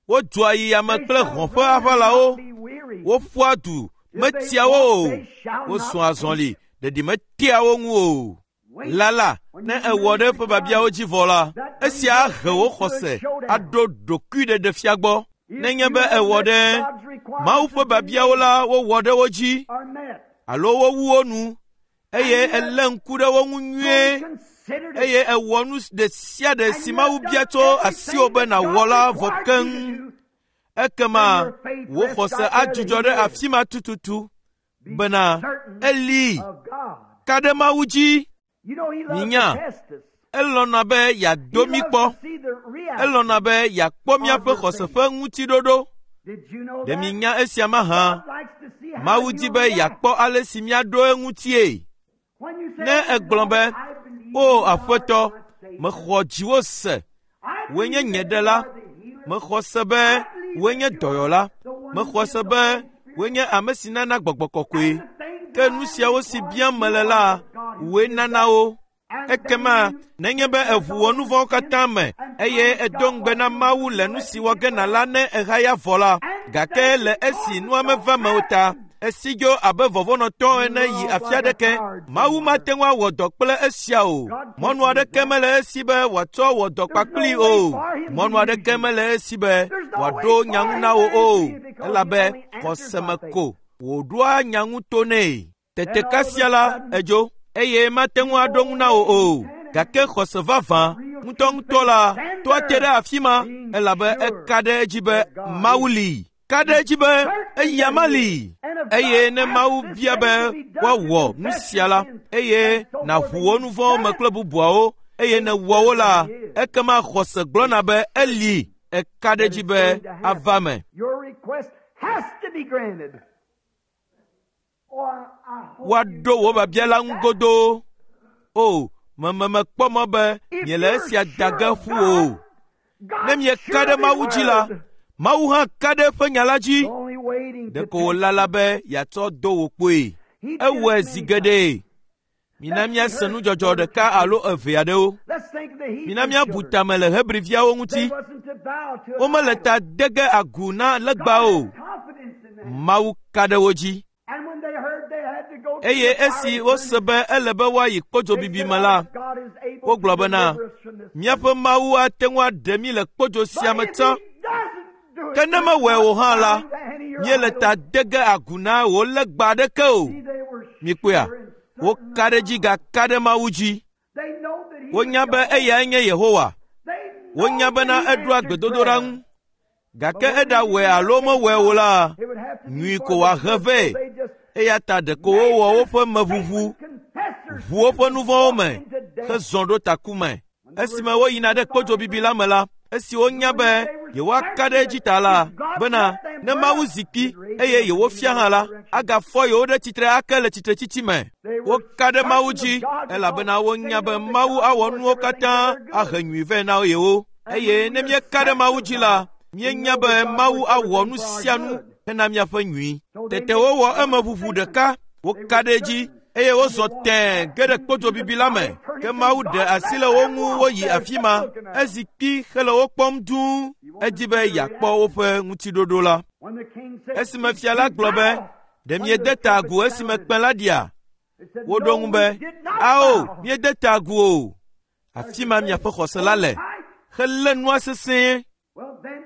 Wodzɔa yi ame They kple shall hɔ̃ ƒe run and aʋalawo. not be weary. Woƒua du, If they metia wo walk, o. they shall not Wozɔa faint. azɔli, ɖeɖi metea wo ŋu o. Wait Lala, when ne you ewɔ meet ɖe his eƒe biabiawo requirements. dzi vɔ la, That brings esia up ahe wò faith to a xɔse showdown. aɖo ɖokuiɖeɖefia gbɔ. If Nenye you be have ewɔ met ɖe God's Mawu requirements ƒe and been biabiawo made la, wowɔ ɖe wo dzi are met, alo wowu wo nu eye and you have elé ŋku ɖe wo ŋu fully nyuie considered it, eye ewɔ nu ɖe sia ɖe and si you Mawu have bia done tso asiwò everything be that nàwɔ God la vɔ required you keŋ, to do, ekema then your faith wò rests xɔse right there that adzudzɔ He ɖe is. afi ma tututu Be bena certain eli of God. ka ɖe Mawu dzi. You know, He loves to Minya, test us. elɔ̃na be He yeado mí loves kpɔ. to see the reaction Elɔ̃na be yeakpɔ of míaƒe your xɔse faith. ƒe ŋutiɖoɖo. Did you know Ɖe that? minya esia mahã? God likes to see how Mawu di you be react. yeakpɔ ale si míaɖo eŋutie. When you say, Ne Oh egblɔ Lord, be, I believe “O you are Aƒetɔ, my Savior. mexɔ dziwò se, I wòe nye believe nye that you ɖela, are the healer. mexɔ se be I believe wòe that nye you are dɔyɔla, the one who mexɔ gives se the be Holy wòe Spirit. nye ame si nana gbɔgbɔ kɔkɔe. And the things Ke that nu I am siawo si required, biam you mele are la, the God who wòe gives nana that. wo. And Ekema then you nenye be confess èʋu wò all nu your vɔ̃wo sins katã me and eye promise èdo God ŋugbe what na you'll Mawu do le nu let si you wɔ get ge well. nàla ne èhaya vɔ la, And gake then le because esi it nua don't meva me o ta, happen, esi dzo abe vɔvɔ̃nɔtɔ you ene yi run off afi like a aɖeke. coward Mawu somewhere. mate ŋu awɔ dɔ kple esia o. God can't Mɔnu use aɖeke that. mele esi be wòatsɔ wɔ dɔ There's kpakplii no way o. for him to Mɔnu use aɖeke you. mele esi be There's no way wòaɖo nya for ŋu him na to wò o, answer you because he elabe only answers xɔse by me faith. ko wòɖoa nya ŋu to nɛ. Tete Then all of kasia a la sudden, edzo eye mate ŋu aɖo ŋu na wò oh, o. Gake xɔse vavã ŋutɔŋutɔ la tɔa te ɖe afi ma elabe eka ɖe edzi be Mawu li. Ka ɖe edzi be eya ma li. Eye ne Mawu bia be woawɔ nu sia la, eye nàʋu wò nu vɔ̃wo me kple bubuawo, eye nèwɔ wo la, ekema xɔse gblɔna be eli. Eka ɖe edzi be ava me. Woaɖo wò biabia la ŋu godoo. O, memekpɔ mɔ be miele esia da ge ƒu o. Ne mieka ɖe Mawu dzi la, Mawu hã ka ɖe eƒe nya la dzi. Ɖeko wòlala be yeatsɔ do wò kpoe. Ewɔe zi geɖe. Mina míase nudzɔdzɔ ɖeka alo eve aɖewo. Mina míabu tame le Hebriviawo ŋuti. Womele ta de ge agu na legba o. Mawu ka ɖe wo dzi. Eye esi wose be ele be woayi kpodzobibi me la, wogblɔ bena, míaƒe Mawu ate ŋu aɖe mí le kpodzo sia me tsã. Ke ne mewɔe o hã la, míele ta de ge agu na wò legba aɖeke o. Mikpɔea? Woka ɖe edzi gaka ɖe Mawu dzi. Wonya be eyae nye Yehowa. Wonya bena eɖoa gbedodoɖa ŋu. Gake eɖawɔe alo mewɔe o la, nyui ko wòahe vɛ. Eya ta ɖeko wowɔ woƒe meʋuʋu, ʋu woƒe nu vɔ̃wo me, hezɔ ɖo taku me. Esime woyina ɖe kpodzobibi la me la, esi wonya be yewoaka ɖe edzi ta la, bena ne Mawu zi kpi eye yewofia hã la, agafɔ yewo ɖe tsitre ake le tsitretsitsi me. Woka ɖe Mawu dzi elabena wonya be Mawu awɔ nuwo katã ahe nyui vɛ na yewo. Eye ne míeka ɖe Mawu dzi la, míenya be Mawu awɔ nu sia nu hena míaƒe nyui. Tete wowɔ emeʋuʋu ɖeka, woka ɖe edzi eye wozɔ tẽe ge ɖe kpodzobibi la me. Ke Mawu ɖe asi le wo ŋu woyi afi ma. Ezi kpi hele wo kpɔm dũu. Edi be yeakpɔ woƒe ŋutiɖoɖo la. Esime fia la gblɔ be, ɖe miede ta agu esime kpẽ la ɖia? Woɖo ŋu be, ao, míede ta agu o. Afi ma miaƒe xɔse la le. Helé nua sesẽe.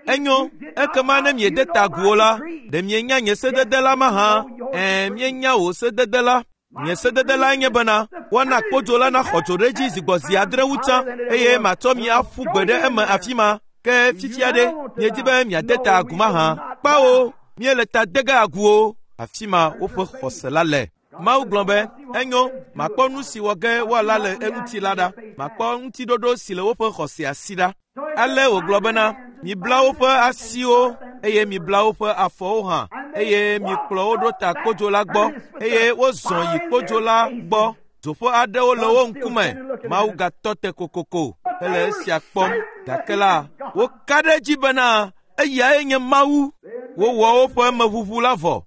Enyo, ekema ne miede ta agu o la, ɖe mienya nye sedede la mahã? Ɛ̃, míenya wò sedede la. Nye sedede lae nye bena, woana kpodzo la naxɔ dzo ɖe edzi zi gbɔ zi adre wu tsã, eye matsɔ mi aƒu gbe ɖe eme afi ma. Ke fifia ɖe, miedi be miade ta agu mahã? Kpawo, míele ta de ge agu o. Afi ma woƒe xɔse la le. Mawu gblɔ be, enyo, makpɔ nu si wɔ ge woala le eŋuti la ɖa. Makpɔ ŋutiɖoɖo si le woƒe xɔsea si ɖa. Ale wògblɔ bena, mibla woƒe asiwo eye mibla woƒe afɔwo hã eye mikplɔ wo ɖo ta kpodzo la gbɔ eye wozɔ yi kpodzo la gbɔ. Dzoƒe aɖewo le wo ŋkume. Mawu gatɔ te kokoko hele esia kpɔm. Gake la, woka ɖe edzi bena eyae nye Mawu. Wowɔ woƒe meʋuʋu la vɔ.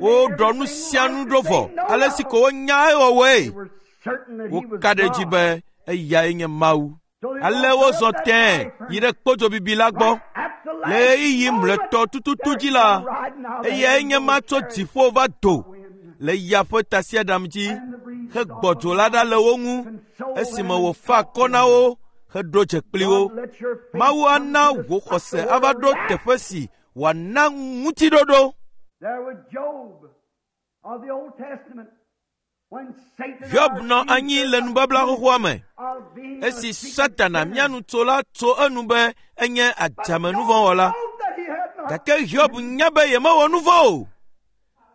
Woɖɔ nu sia nu ɖo vɔ ale si ko wonya ewɔwɔe. Woka ɖe edzi be eyae nye Mawu. Ale wozɔ tẽe yi ɖe kpodzobibi la gbɔ. Le ɣeyiɣi mlɔetɔ tututu dzi la, eyae nye ma tso dziƒo va do le ya ƒe tasiaɖam dzi hegbɔ dzo la ɖa le wo ŋu esime wòfa akɔ na wo heɖo dze kpli wo. Mawu ana wò xɔse ava ɖo teƒe si wòana ŋutiɖoɖo. Hiob nɔ anyi le nubabla xoxoa me. Esi Satana mía nu tso la tso enu be enye adzamenuvɔ̃wɔla. Gake Hiob nya be yemewɔ nu vɔ̃ o.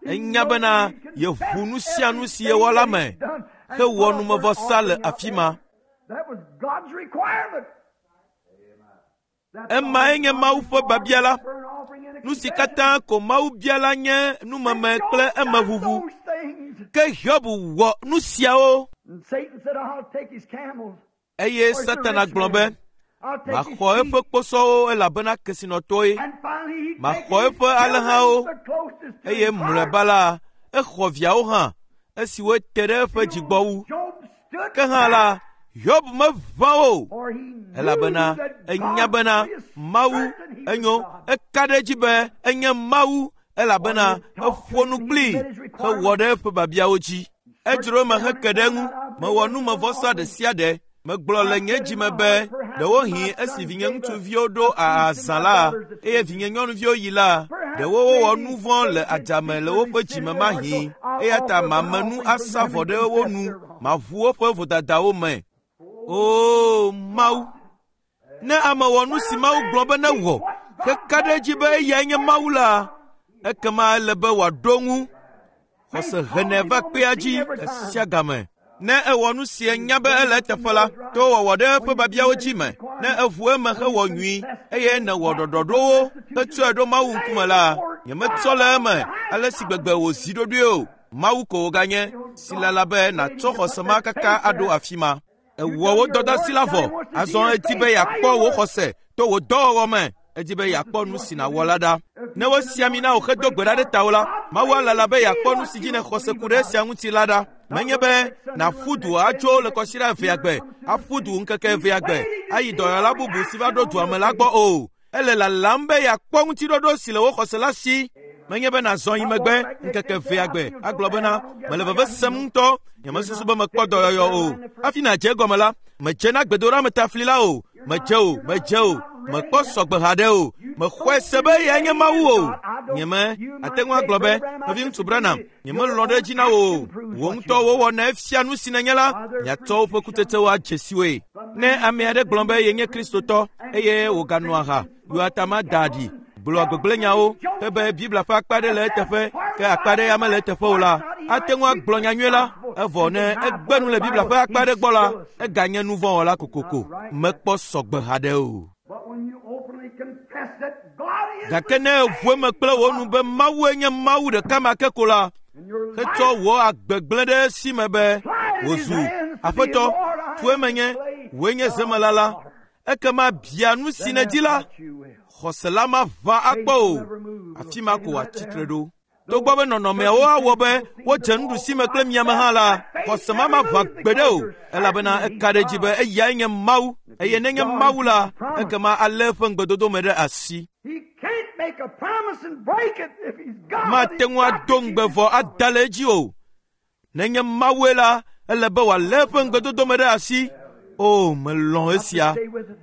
Enya bena yeʋu nu sia nu si yewɔ la me hewɔ numevɔsa le afi ma. Emae nye Mawu ƒe biabia la. Nu si katã ko Mawu bia la nye numeme kple emeʋuʋu. Ke Hiob wɔ nu siawo. Eye Satana gblɔ be, maxɔ eƒe kposɔwo elabena kesinɔtɔe. Maxɔ eƒe alẽhawo. Eye mlɔeba la, exɔ viawo hã, esiwo te ɖe eƒe dzigbɔ wu. Ke hã la, Hiob meʋã o, elabena enya bena Mawu enyo. Eka ɖe edzi be enye Mawu elabena eƒo nu kplii hewɔ ɖe eƒe biabiawo dzi. Edzro eme heke ɖe eŋu. Mewɔ numevɔsa ɖe sia ɖe. Megblɔ le nye dzime be ɖewohĩ esi vinye ŋutsuviwo ɖo azã la eye vinye nyɔnuviwo yi la, ɖewo wowɔ nu vɔ̃ le adzame le woƒe dzime mahĩ. Eya ta mame nu asa vɔ ɖe wo nu, maʋu woƒe vodadawo me. Oo Mawu! Ne ame wɔ nu si Mawu gblɔ be newɔ heka ɖe edzi be eyae nye Mawu la, ekema ele be wòaɖo ŋu. Xɔse henɛ va kpea dzi sia game. Ne ewɔ nu si enya be ele eteƒe la, to wɔwɔ ɖe eƒe biabiawo dzi me, ne eʋu eme hewɔ nyui eye nèwɔ ɖɔɖɔɖowo hetsɔe ɖo Mawu ŋkume la, nyemetsɔ le eme ale si gbegbe wòzi ɖoɖoe o. Mawu ko wòganye si lala be nàtsɔ xɔse ma kaka aɖo afi ma. Ewɔ wò dɔdeasi la vɔ, azɔ edi be yeakpɔ wò xɔse to wò dɔwɔwɔ me. Edi be yeakpɔ nu si nàwɔ la ɖa. Ne wosi ami na wò hedo gbe ɖa ɖe tawò la, Mawu alala be yeakpɔ nu si dzi nèxɔ se ku ɖe esia ŋuti la ɖa. Menye be nàƒu du atso le kɔsiɖa evea gbe, aƒu du ŋkeke evea gbe, ayi dɔyɔla bubu si va ɖo dua me la gbɔ o. Ele lalam be yeakpɔ ŋutiɖoɖo si le wò xɔse la si. Menye be nàzɔ yi megbe ŋkeke evea gbe agblɔ bena mele veve sem ŋutɔ, nyemesusu be mekpɔ dɔyɔyɔ o. Hafi nàdze egɔme la, medze na gbedoɖametafli la o, medze o, medze o, mekpɔ sɔgbe haɖe o, mexɔe se be eyae nye Mawu o. Nyeme ate ŋu agblɔ be, nɔviŋutsu Branham, nyemelɔ̃ ɖe edzi na wò o. Wò ŋutɔ wòwɔ efia nu si nènye la, miatsɔ woƒe kutsetsewo adze si woe. Ne ame aɖe gblɔ be yenye Kristotɔ eye wòganɔ aha, yɔa ta ma da ɖi, gblɔa gbegblẽnyawo hebe Biblia ƒe akpa ɖe le eteƒe ke akpa ɖe ya mele eteƒe o la, ate ŋu agblɔ nyanyui la, evɔ ne egbe nu le Biblia ƒe akpa ɖe gbɔ la, eganye nu vɔ̃ wɔla kokoko. Mekpɔ sɔgbe haɖe o. Gake ne eʋu eme kple wò nu be Mawue nye Mawu ɖeka ma ke ko la, hetsɔ wò agbe gblẽ ɖe esi me be wòzu Aƒetɔ, tue menye, wòe nye zemela la, ekema bia nu si nèdi la, xɔse la maʋã akpɔ o, afi ma ko wòatsi tre ɖo. Togbɔ be nɔnɔmeawo awɔ be wodze nuɖusime kple miame hã la, xɔse ma maʋã gbeɖe o, elabena eka ɖe edzi be eyae nye Mawu, eye nenye Mawu la, ekema alé eƒe ŋugbedodo me ɖe asi. Mate ŋu ado ŋugbe vɔ ada le edzi o. Nenye Mawue la, ele be wòalé eƒe ŋugbedodo me ɖe asi. O, melɔ̃ esia.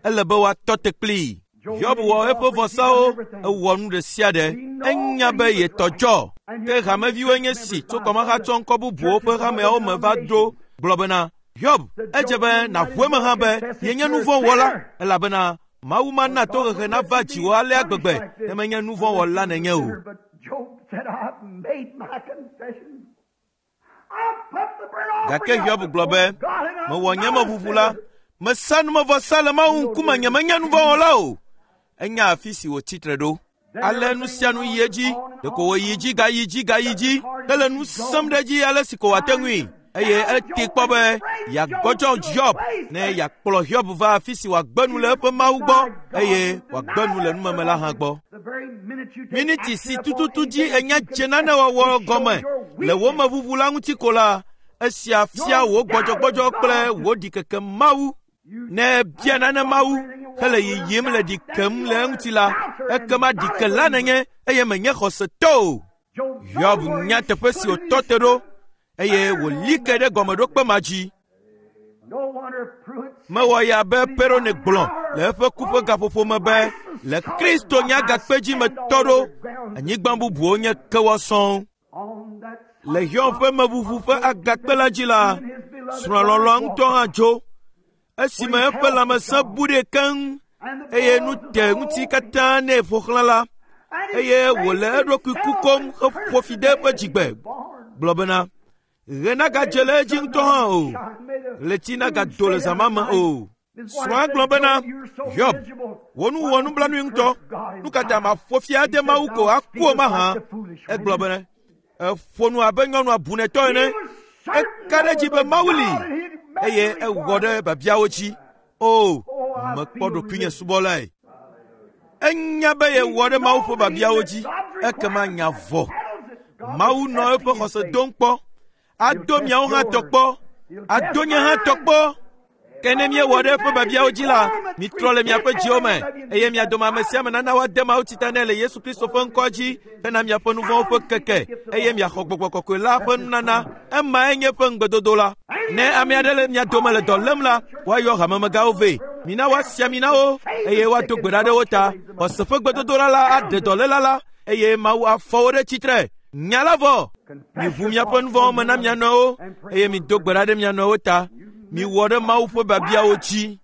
Ele be woatɔ te kplii. Hiob wɔ eƒe vɔsawo, ewɔ nu ɖe sia ɖe. Enya be yetɔ dzɔ. Ke hameviwoe nye si tso kɔmahatsɔ ŋkɔ bubuwo ƒe hameawo me va ɖo gblɔ bena, Hiob, edze be nàʋu eme hã be yenye nu vɔ̃ wɔla, elabena Mawu mana tohehe nava dziwò alea gbegbe ne menye nu vɔ̃ wɔla nènye o. Gake Hiob gblɔ be, mewɔ nye meʋuʋu la, mesa numevɔsa le Mawu ŋkume, nyemenye nu vɔ̃ wɔla o. Enya afi si wòtsi tre ɖo. Ale nu sia nu yi edzi, ɖeko wòyi dzi gayi dzi gayi dzi hele nu sẽm ɖe edzi ale si ko wòate ŋui. Eye ete kpɔ be yeagbɔdzɔ Hiob ne yeakplɔ Hiob va afi si wòagbe nu le eƒe Mawu gbɔ eye wòagbe nu le numeme la hã gbɔ. Miniti si tututu dzi enya dze nane wɔwɔ gɔme le wò meʋuʋu la ŋuti ko la, esia fia wò gbɔdzɔgbɔdzɔ kple wò ɖikeke Mawu. Ne ebia nane Mawu hele yiyim le ɖi kem le eŋuti la, ekema ɖikela nènye eye menye xɔsetɔ o. Hiob nya teƒe si wòtɔ te ɖo eye wòli ke ɖe gɔmeɖokpe ma dzi. Mewɔ ya be Perone gblɔ le eƒe ku ƒe gaƒoƒo me be le Kristo nye agakpe dzi metɔ ɖo, anyigba bubuwo nye kewɔ sɔŋ. Le Hiob ƒe meʋuʋu ƒe agakpe la dzi la, srɔ̃a lɔlɔ̃a ŋutɔ hã dzo. Esime eƒe lãmesẽ bu ɖee keŋ eye nu te ŋuti katã nɛ ƒo xlã la, eye wòle eɖokui kukom heƒo fi de eƒe dzigbe gblɔ bena, ɣe nagadze le edzi ŋutɔ hã o, ɣleti nagado le zã ma me o. Srɔ̃a gblɔ bena, Hiob, wò nu wɔ nublanui ŋutɔ. Nu ka ta maƒo fi ade Mawu ko aku o mahã? Egblɔ bena, eƒo nu abe nyɔnu abunɛtɔ ene. Eka ɖe edzi be Mawu li eye ewɔ ɖe biabiawo dzi. O, mekpɔ ɖokuinye subɔlae. Enya be yewɔ ɖe Mawu ƒe biabiawo dzi, ekema nya vɔ. Mawu nɔ eƒe xɔse dom kpɔ. Ado miawo hã tɔ kpɔ. Ado nye hã tɔ kpɔ. Ke ne míewɔ ɖe eƒe biabiawo dzi la, mitrɔ le miaƒe dziwo me, eye mia dome ame sia ame nana woade Mawu tsita nɛ le Yesu Kristo ƒe ŋkɔ dzi hena miaƒe nu vɔ̃wo ƒe keke, eye miaxɔ Gbɔgbɔ Kɔkɔe la ƒe nunana. Emae nye eƒe ŋugbedodo la. Ne ame aɖe le mia dome le dɔ lém la, woayɔ hamemegãwo vɛ. Mina woasi ami na wo, eye woado gbe ɖa ɖe wo ta. Xɔse ƒe gbedodoɖa la aɖe dɔléla la, eye Mawu afɔ wo ɖe tsitre. Nya la vɔ. Miʋu miaƒe nu vɔ̃wo me na mia nɔewo, eye mido gbe ɖa ɖe mia nɔewo ta. Miwɔ ɖe Mawu ƒe biabiawo dzi.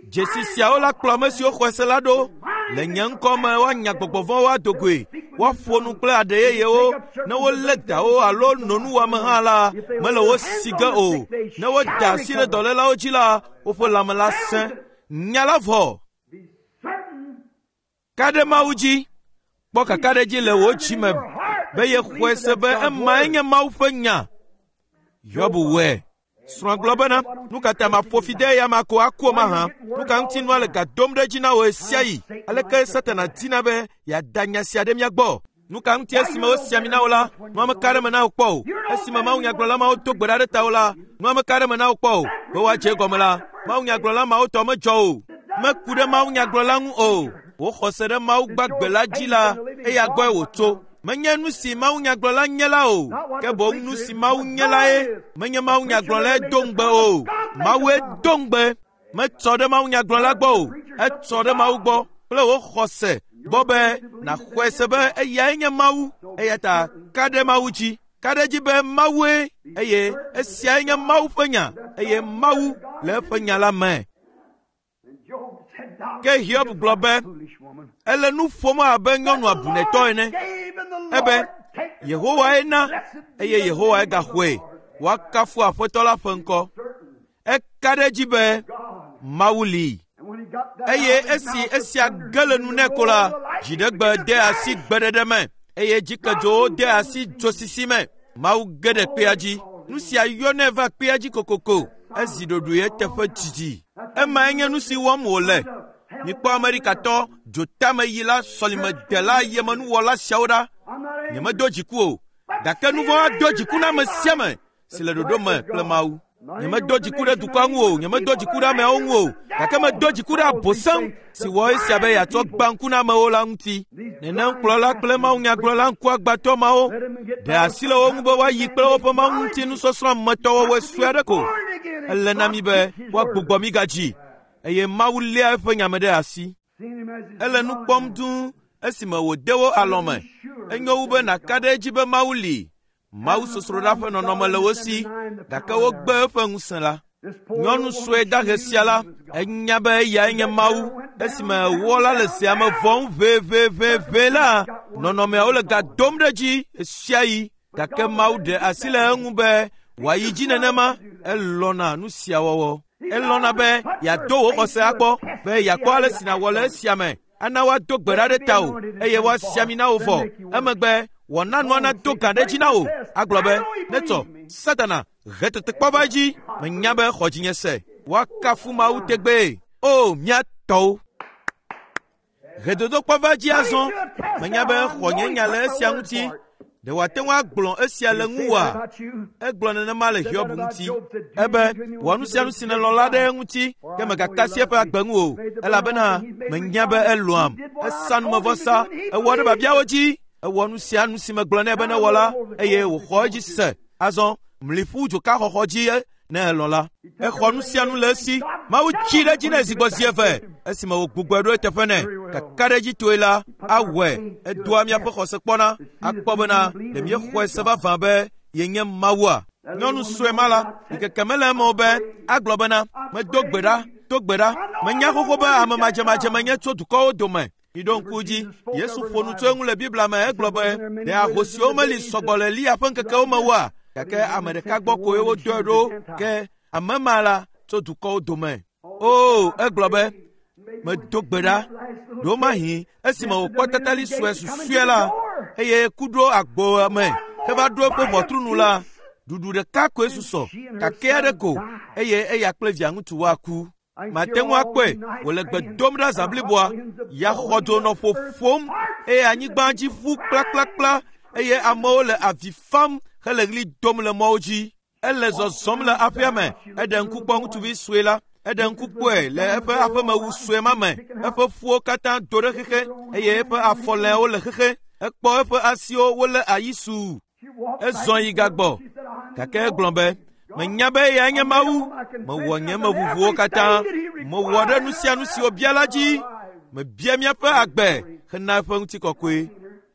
Dzesi siawo la kplɔ ame siwo xɔe se la ɖo. Le nye ŋkɔ me woanya gbɔgbɔ vɔ̃wo ado goe, woaƒo nu kple aɖe yeyewo. Ne wolé dawo alo no nuwɔame hã la, mele wo si ge o. Ne woda asi ɖe dɔlélawo dzi la, woƒe lãme la sẽ. Nya la vɔ. Ka ɖe Mawu dzi. Kpɔ kakaɖedzi le wò dzi me be yexɔe se be emae nye Mawu ƒe nya. Hiob wɔe. Srɔ̃a gblɔ bena, nu ka ta maƒo fi de eya ma ko aku o mahã? Nu ka ŋuti nua le ga dom ɖe edzi na wò ɣesiaɣi? Aleke Satana dina be yeada nya sia ɖe mía gbɔ? Nu ka ŋuti esime wosi ami na wò la, nua meka ɖe eme na wò kpɔ o? Esime mawunyagblɔla mawo do gbe ɖa ɖe tawò la, nua meka ɖe eme na wò kpɔ o. Be woadze egɔme la, mawunyagblɔla mawo tɔ medzɔ o. Meku ɖe mawunyagblɔla ŋu o. Wò xɔse ɖe Mawu gbagbe la dzi la, eya gbɔe wòtso. Menye nu si mawunyagblɔla nye la o, ke boŋ nu si Mawu nye lae. Menye mawunyagblɔlae do ŋugbe o, Mawue do ŋugbe. Metsɔ ɖe mawunyagblɔla gbɔ o, etsɔ ɖe Mawu gbɔ kple wò xɔse gbɔ be nàxɔe se be eyae nye Mawu. Eya ta ka ɖe Mawu dzi. Ka ɖe edzi be Mawue eye esiae nye Mawu ƒe nya eye Mawu le eƒe nya la me. Ke Hiob gblɔ be, ele nu ƒom abe nyɔnu abunetɔ ene. Ebe, Yehowae na eye Yehowae gaxɔe. Woakafu Aƒetɔ la ƒe ŋkɔ. Eka ɖe edzi be Mawu li. Eye esi esia ge le nu nɛ ko la, dziɖegbe de asi gbeɖeɖe me eye dzikedzowo de asi dzosisi me. Mawu ge ɖe kpea dzi. Nu sia yɔnɛ va kpea dzi kokoko. Ezi ɖoɖoe eteƒe didi. Emae nye nu si wɔm wòle. Mikpɔ Amerikatɔ dzotameyila sɔlimedela yemenuwɔla siawo ɖa. Nyemedo dziku o, gake nu vɔ̃ ado dziku na ame sia ame si le ɖoɖo me kple Mawu. Nyemedo dziku ɖe dukɔa ŋu o, nyemedo dziku ɖe ameawo ŋu o, gake medo dziku ɖe Abosam si wɔ esia be yeatsɔ gbã ŋku na amewo la ŋuti. Nenem kplɔla kple mawunyagblɔla ŋkuagbãtɔ mawo ɖe asi le wo ŋu be woayi kple woƒe Mawu ŋuti nusɔsrɔ̃ ametɔwɔwɔe sue aɖe ko. Ele na mí be woagbugbɔ mí gadzi eye Mawu léa eƒe nya me ɖe asi. Ele nu kpɔm dũu esime wòde wo alɔme. Enyo wu be nàka ɖe edzi be Mawu li. Mawu sosroɖa ƒe nɔnɔme le wo si, gake wogbe eƒe ŋusẽ la. Nyɔnu sue dahe sia la, enya be eyae nye Mawu. Esime wɔla le zea me vɔm ʋeʋeʋeʋe la, nɔnɔmeawo le ga dom ɖe edzi ɣesiaɣi. Gake Mawu ɖe asi le eŋu be wòayi dzi nenema. Elɔ̃na nu sia wɔwɔ. Elɔ̃na be yeado wò xɔse akpɔ, be yeakpɔ ale si nàwɔ le esia me. Ana woado gbe ɖa ɖe tawò eye woasi ami na wò vɔ. Emegbe wòana nua nado gã ɖe edzi na wò. Agblɔ be, Netsɔ, Satana, he tetekpɔ va edzi. Menya be xɔ dzinye se. Woakafu Mawu tegbee. O, mía tɔwo! He dodokpɔ va edzi azɔ. Menya be xɔ nye nya le esia ŋuti. Ɖe wòate ŋu agblɔ esia le ŋuwòa? Egblɔ nenema le Hiob ŋuti. Ebe, wɔ nu sia nu si nèlɔ̃ la ɖe eŋuti, ke mègaka asi eƒe agbe ŋu o, elabena menya be elɔ̃am. Esa numevɔsa, ewɔ ɖe biabiawo dzi, ewɔ nu sia nu si megblɔ nɛ be newɔ la, eye wòxɔ edzi se. Azɔ, mli ƒu dzokaxɔxɔ dzi ne elɔ̃ la. Exɔ nu sia nu le esi. Mawu tsi ɖe edzi nɛ zi gbɔ zi eve esime wògbugbɔe ɖo eteƒe nɛ. Kakaɖedzitɔe la, awɔe. Edoa míaƒe xɔse kpɔna akpɔ bena ɖe míexɔe se vavã be yenye Mawua. Nyɔnu sue ma la, ɖikeke mele eme o be agblɔ bena, medo gbe ɖa, do gbe ɖa. Menya xoxo be ame madzemadze menye tso dukɔwo dome. Miɖo ŋku dzi, Yesu ƒo nu tso eŋu le Biblia me egblɔ be, ɖe ahosiwo meli sɔgbɔ le Eliya ƒe ŋkekewo me oa? Gake ame ɖeka gbɔ koe wodɔe ɖo, ke ame ma la tso dukɔwo dome. O, egblɔ be, medo gbe ɖa. Ɖewomahi esime wòkpɔ tatali sue susɔe la, eye ku ɖo agbo me heva ɖo eƒe ʋɔtru nu la, ɖuɖu ɖeka koe susɔ, kakɛ aɖe ko, eye eya kple via ŋutsu woaku. Mate ŋu akpɔe wòle gbe dom ɖa zã bliboa. Ya xɔdzo nɔ ƒoƒom eye anyigba dzi ƒu kplakplakpla eye amewo le avi fam hele ɣli dom le mɔwo dzi. Ele zɔzɔm le aƒea me. Eɖe ŋku kpɔ ŋutsuvi sue la. Eɖe ŋku kpɔe le eƒe aƒemewu sue ma me. Eƒe ƒuwo katã do ɖe xexe eye eƒe afɔlɛawo le xexe. Ekpɔ eƒe asiwo wolé ayi suu. Ezɔ yi gagbɔ gake egblɔ be, menya be eyae nye Mawu. Mewɔ nye meʋuʋuwo katã. Mewɔ ɖe nu sia nu si wòbia la dzi. Mebia míaƒe agbe hena eƒe ŋutikɔkɔe.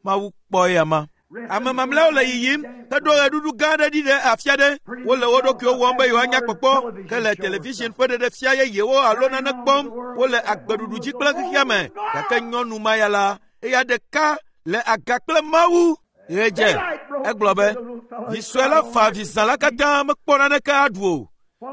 Mawu kpɔ eya ma. Ame mamlɛawo le yiyim heɖo ɣeɖuɖu gã aɖe ɖi ɖe afi aɖe. Wole wo ɖokuiwo wɔm be yewoanya kpɔkpɔ hele television ƒe ɖeɖefia yeyewo alo nane kpɔm. Wole agbeɖuɖu dzi kple xexea me. Gake nyɔnu ma ya la, eya ɖeka le aga kple Mawu. Ɣe dze. Egblɔ be, vi sue la fa avi zã la katã mekpɔ naneke aɖu o.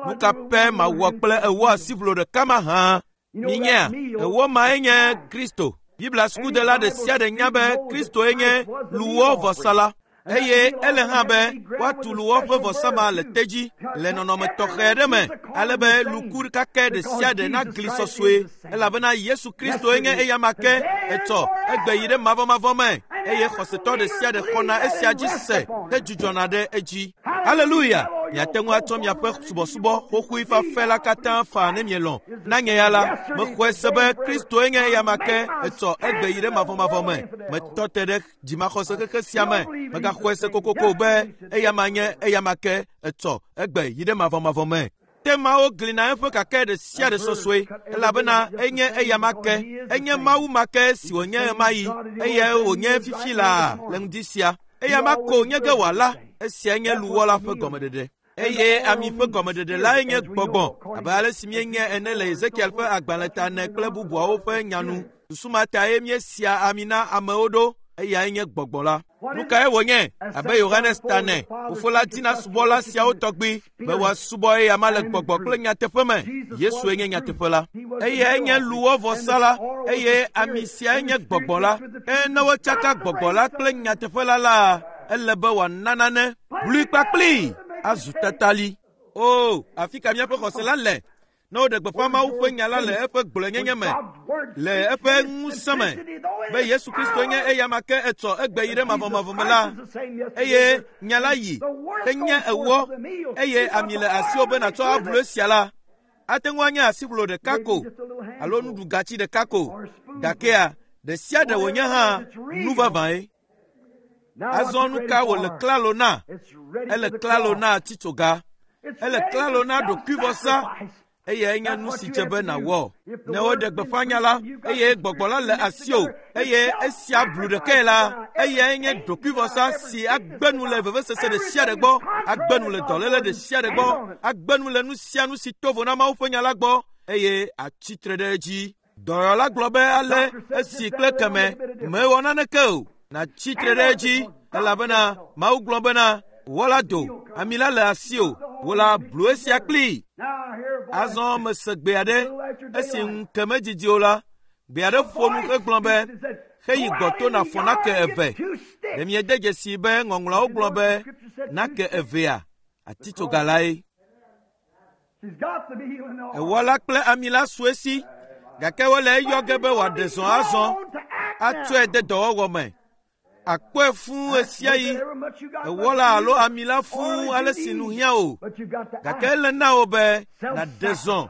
Nu ka pɛ mawɔ kple ewɔ asiʋlo ɖeka ma hã? Minyea, ewɔ mae nye Kristo. Biblia sukudela ɖe sia ɖe nya be Kristoe nye luwɔ vɔsala eye ele hã be woatu luwɔ ƒe vɔsa ma le tedzi le nɔnɔme tɔxɛ aɖe me ale be luku kakɛ ɖe sia ɖe nagli sɔsɔe elabena Yesu Kristoe nye eyama ke etsɔ egbe yi ɖe mavɔmavɔ me eye xɔsetɔ ɖe sia ɖe xɔna esia dzi se hedzudzɔna ɖe edzi. Haleluya! Miate ŋu atsɔ miaƒe subɔsubɔ xoxoe fafɛ la katã faa ne mielɔ̃. Na nye ya la, mexɔe se be Kristoe nye eyama ke etsɔ egbe yi ɖe mavɔmavɔ me. Metɔ te ɖe dzimaxɔse xexe sia me. Megaxɔe se kokoko be eyama nye eyama ke etsɔ egbe yi ɖe mavɔmavɔ me. Temawo gli na eƒe kakɛ ɖe sia ɖe sɔsɔe elabena enye eyama ke, enye Mawu ma ke si wònye ɣemaɣi eye wònye fifi laa le ŋdi sia. Eyama ko nye ge wòala, esiae nye luwɔ la ƒe gɔmeɖeɖe. Eye ami ƒe gɔmeɖeɖe lae nye gbɔgbɔ, abe ale si míenye ene le Ezekiel ƒe agbalẽ ta ene kple bubuawo ƒe nya nu. Susu ma tae míesia ami na amewo ɖo, eyae nye gbɔgbɔ la. Nu kae wònye? Abe Yohanes ta ene, fofo la dina subɔla siawo tɔgbi be woasubɔ eyama le gbɔgbɔ kple nyateƒe me. Yesue nye nyateƒe la. Eyae nye luwɔvɔsa la eye ami siae nye gbɔgbɔ la. Ke ne wotsaka gbɔgbɔ la kple nyateƒe la la, ele be wòana nane blui kpakplii azu tatali. O, afi ka míaƒe xɔse la le? Ne woɖe gbeƒã Mawu ƒe nya la le eƒe gblɔenyenye me, le eƒe ŋusẽ me, be Yesu Kristo nye eyama ke etsɔ egbe yi ɖe mavɔmavɔ me la, eye nya la yi henye ewɔ eye ami le asiwò be nàtsɔ ablu esia la, ate ŋu anye asiʋlo ɖeka ko alo nuɖugatsi ɖeka ko, gakea ɖe sia ɖe wònye hã nu vavãe. Azɔ nu ka wòle klalo na? Ele klalo na titsoga. Ele klalo na ɖokuivɔsa. Eyae nye nu si dze be nàwɔ. Ne woɖe gbeƒã nya la, eye gbɔgbɔ la le asiwò, eye esia blu ɖekae la, eyae nye ɖokuivɔsa si agbe nu le vevesese ɖe sia ɖe gbɔ, agbe nu le dɔléle ɖe sia ɖe gbɔ, agbe nu le nu sia nu si to vo na Mawu ƒe nya la gbɔ, eye atsi tre ɖe edzi. Dɔyɔla gblɔ be ale esi kple keme mewɔ naneke o, nàtsi tre ɖe edzi elabena Mawu gblɔ bena wɔ la do, ami la le asiwò, wò la blu esia kplii. Azɔ mese gbe aɖe esi ŋu ke medidi o la, gbe aɖe ƒo nu hegblɔ be heyi gbɔto nàfɔ nake eve. Ɖe miede dzesii be ŋɔŋlɔawo gblɔ be nake evea atitsoga lae. Ewɔla kple ami la su esi gake wole eyɔ ge be wòaɖe zɔ azɔ atsɔe de dɔwɔwɔ me. Akpɔe fũu ɣesiaɣi ewɔla alo ami la fũu ale si nu hiã o gake ele na wò be nàɖe zɔ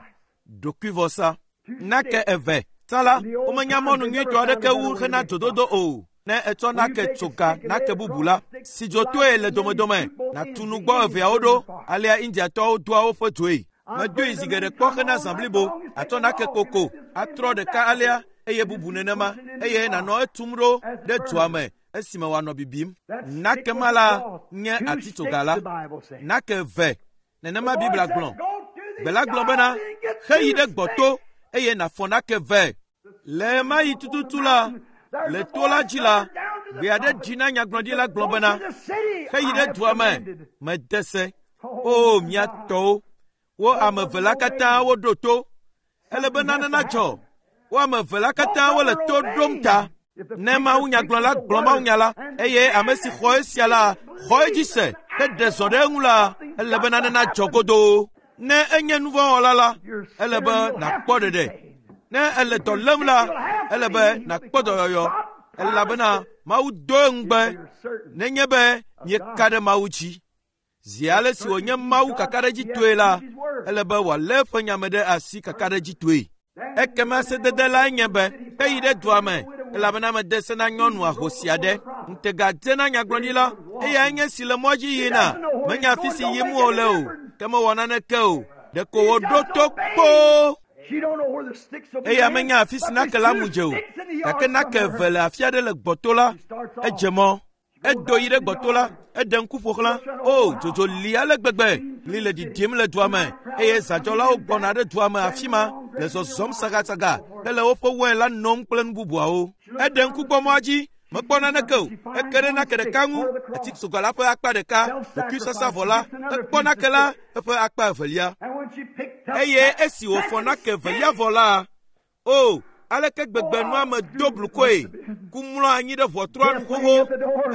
ɖokuivɔsa. Nake eve. Tsã la, womenya mɔnu nyuitɔ aɖeke wu hena dzododo o. Ne ètsɔ nake tso ga nake bubu la, si dzotoe le domedome, nàtu nugbɔ eveawo ɖo. Alea Indiatɔwo doa woƒe dzoe. Medoe zi geɖe kpɔ hena zã blibo. Àtsɔ nake koko, atrɔ ɖeka alea eye bubu nenema eye nànɔ etum ɖo ɖe dzoa me esime wòanɔ bibim. Nake ma la nye atitsoga la. Nake eve nenema Biblia gblɔ. Gbe la gblɔ bena, heyi ɖe gbɔto eye nàfɔ nake vɛ. Le ɣemaɣi tututu la, le to la dzi la, gbe aɖe ɖi na nyagblɔɖila gblɔ bena, heyi ɖe dua me, mede se. O, mia tɔwo, wo ame eve la katã woɖo to. Ele be nane nadzɔ. Wo ame eve la katã wole to ɖom ta. Ne mawunyagblɔla gblɔ mawunya la eye ame si xɔ esia la xɔ edzi se heɖe zɔ ɖe eŋu la, ele be nane nadzɔ godoo. Ne enye nuvɔ̃wɔla la, ele be nàkpɔ ɖeɖe. Ne ele dɔ lém la, ele be nàkpɔ dɔyɔyɔ elabena Mawu do eŋugbe nenye be mieka ɖe Mawu dzi. Zi ale si wònye Mawu kakaɖedzitɔe la, ele be wòalé eƒe nya me ɖe asi kakaɖedzitɔe. Ekema sedede lae nye be heyi ɖe dua me elabena mede se na nyɔnu ahosi aɖe. Ŋutega dze na nyagblɔɖila eyae nye si le mɔ dzi yina. Menya afi si yim wòle o, ke mewɔ naneke o. Ɖeko wòɖo to kpoo. Eya menya afi si nake la mu dze o, gake nake eve le afi aɖe le gbɔto la, edze mɔ. Edo yi ɖe gbɔto la, eɖe ŋku ƒo xlã. O, dzodzo li ale gbegbe, li le ɖiɖim le dua me eye zadzɔlawo gbɔna ɖe dua me afi ma le zɔzɔm sagasaga hele woƒe wɔe la nom kple nu bubuawo. Eɖe ŋku gbɔ mɔa dzi, mekpɔ naneke o. Eke ɖe nake ɖeka ŋu, atitsoga la ƒe akpa ɖeka, ɖokuisasavɔ la, ekpɔ nake la eƒe akpa evelia. Eye esi wòfɔ nake evelia vɔ la, o, aleke gbegbe nua me do blukɔe, ku mlɔ anyi ɖe ʋɔtrua nu xoxo.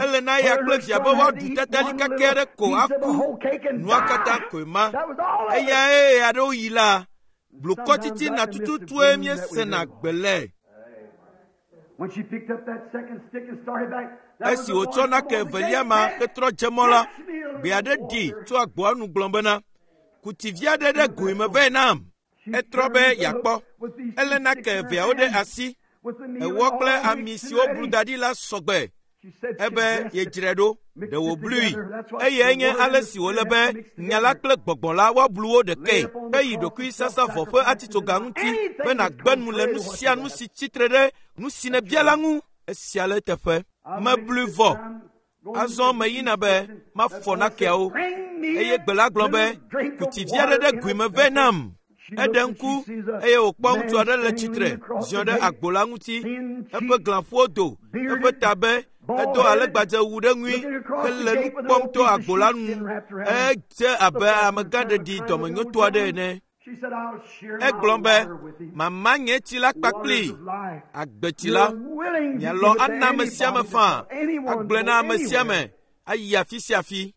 Ele na eya kple via be woaɖu tatali kake aɖe ko aku. Nua katã koe ma. Eyae aɖewo yi la, blukɔ titina tututue míesena gbe le. Esi wòtsɔ nake evelia ma hetrɔ dze mɔ la, gbe aɖe ɖi tso agboa nu gblɔ bena, kuti vi aɖe ɖe goe me vɛ nam. Etrɔ be yeakpɔ. Elé nake eveawo ɖe asi. Ewɔ kple ami siwo blu da ɖi la sɔgbe. Ebe yedzrae ɖo, ɖe wòblui. Eye nye ale si wòle be nya la kple gbɔgbɔ la woablu wo ɖekae heyi ɖokuisasavɔ ƒe atitsoga ŋuti be nàgbe nu le nu sia nu si tsitre ɖe nu si nèbia la ŋu. Esia le eteƒe. Meblui vɔ. Azɔ meyina be mafɔ nakeawo. Eye gbe la gblɔ be, kuti vi aɖe ɖe goe me vɛ nam. Eɖe ŋku eye wòkpɔ ŋutsu aɖe le tsitre ziɔ ɖe agbo la ŋuti. Eƒe glãƒuwo do, eƒe ta be edo alegbadzewu ɖe ŋui hele nu kpɔm to agbo la nu. Edze abe amegãɖeɖi dɔmenyotɔ aɖe ene. Egblɔ be, mama nye tsi la kpakpli agbetsi la. Mialɔ ana ame sia ame faa, agblɔe na ame sia ame ayi afi sia afi.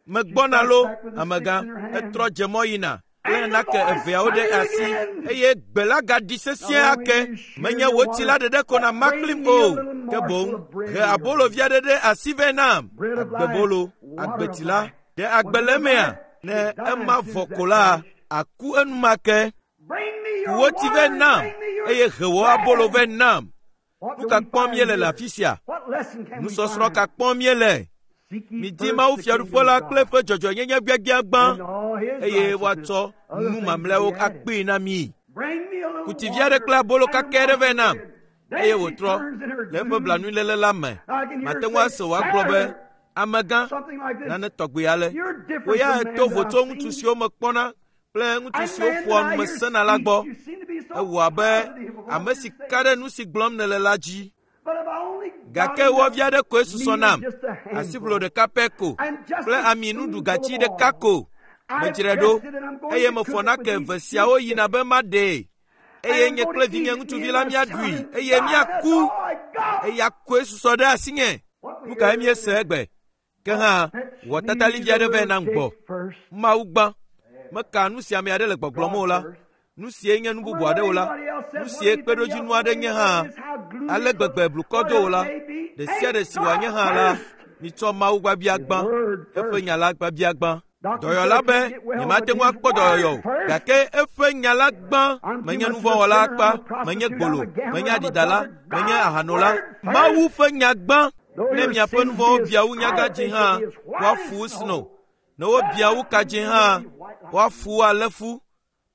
Megbɔna lo, amegã. Etrɔ dze mɔ yina kple nake eveawo ɖe asi eye gbe la gaɖi sesĩe ake. Menye wò tsi la ɖeɖe ko nama kplim o, ke boŋ he abolo vi aɖe ɖe asi vɛ nam. Agbebolo, agbetsi la, ɖe agbe le emea? Ne ema vɔ ko la, aku enumake. Ku wò tsi vɛ nam eye he wò abolo vɛ nam. Nu ka kpɔm míele le afi sia? Nusɔsrɔ̃ ka kpɔm míele? Midi Mawu Fiaɖuƒe la kple eƒe dzɔdzɔenyenye gbiagbia gbã, eye woatsɔ nu mamlɛawo akpee na mi. Kuti vi aɖe kple abolo kakɛ aɖe vɛ nam, eye wòtrɔ le eƒe blanuiléle la me. Mate ŋu ase wòagblɔ be, amegã, nane tɔgbi ale. Wò ya èto vo tso ŋutsu siwo mekpɔna kple ŋutsu siwo ƒoa nu me sena la gbɔ. Ewɔ abe ame si ka ɖe nu si gblɔm nèle la dzi. Gake wɔ vi aɖe koe susɔ nam, asiʋlo ɖeka pɛ ko kple ami nuɖugatsi ɖeka ko. Medzrae ɖo eye mefɔ nake eve siawo yina be maɖee eye nye kple vinye ŋutsuvi la míaɖui eye míaku. Eya koe susɔ ɖe asinye. Nu kae míese egbe? Ke hã, wɔ tatali vi aɖe vɛ nam gbɔ. Mawu gbã. Meka nu si ame aɖe le gbɔgblɔm o la. Nu sie nye nu bubu aɖe o la. Nu sie kpeɖodzinu aɖe nye hã. Ale gbegbe blukɔ do o la. Ɖe sia ɖe si wòanye hã la, mitsɔ Mawu gbagbia gbã. Eƒe nya la gbagbia gbã. Dɔyɔla be, nyemate ŋu akpɔ dɔyɔyɔ o, gake eƒe nya la gbã. Menye nuvɔ̃wɔla akpa, menye gbolo, menye aɖidala, menye ahanola. Mawu ƒe nya gbã. Ne miaƒe nuvɔ̃wo bia wu nyagadzĩ hã, woafu wo sno. Ne wobia wu kadzĩ hã, woafu wo alé fu.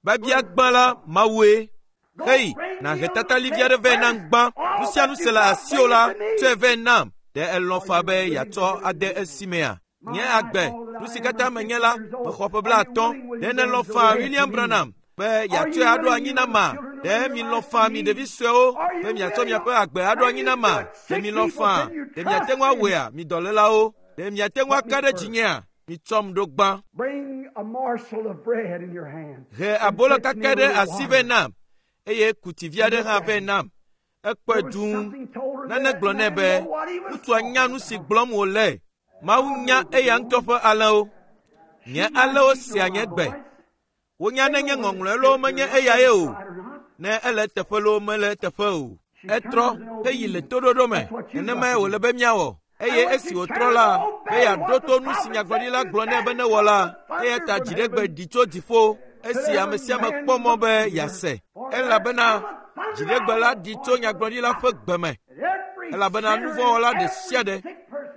Babia gbã la, Mawue. Hei, nàhe tatali vi aɖe vɛ nam gbã. Nu sia nu si le asiwò la, tsɔe vɛ nam. Ɖe elɔ̃ faa be yeatsɔ ade esi mea? Nye agbe, nu si katã menye la, mexɔ ƒe 50. Ɖe nèlɔ̃ faa, William Branham, be yeatsɔe aɖo anyi na ma? Ɖe milɔ̃ faa, mi ɖevi suewo, be miatsɔ miaƒe agbe aɖo anyi na ma? Ɖe milɔ̃ faa? Ɖe miate ŋu awɔea, mi dɔlélawo? Ɖe miate ŋu aka ɖe dzinyea? Mitsɔm ɖo gbã. He abolo kakɛ ɖe asi vɛ nam, eye kuti vi aɖe hã vɛ nam. Ekpɔe dũu. Nane gblɔ nɛ be, ŋutsua nya nu si gblɔm wòle. Mawu nya eya ŋutɔ ƒe alẽwo. Nye alẽwo sea nye gbe. Wonya ne nye ŋɔŋlɔe loo menye eyae o, ne ele eteƒe loo mele eteƒe o. Etrɔ heyi le toɖoɖo me. Nenemae wòle be míawɔ. Eye esi wòtrɔ la, be yeaɖo to nu si nyagblɔɖila gblɔ nɛ be newɔ la, eya ta dziɖegbe ɖi tso dziƒo esi ame sia ame kpɔ mɔ be yease. Elabena dziɖegbe la ɖi tso nyagblɔɖila ƒe gbe me. Elabena nuvɔ̃wɔla ɖe sia ɖe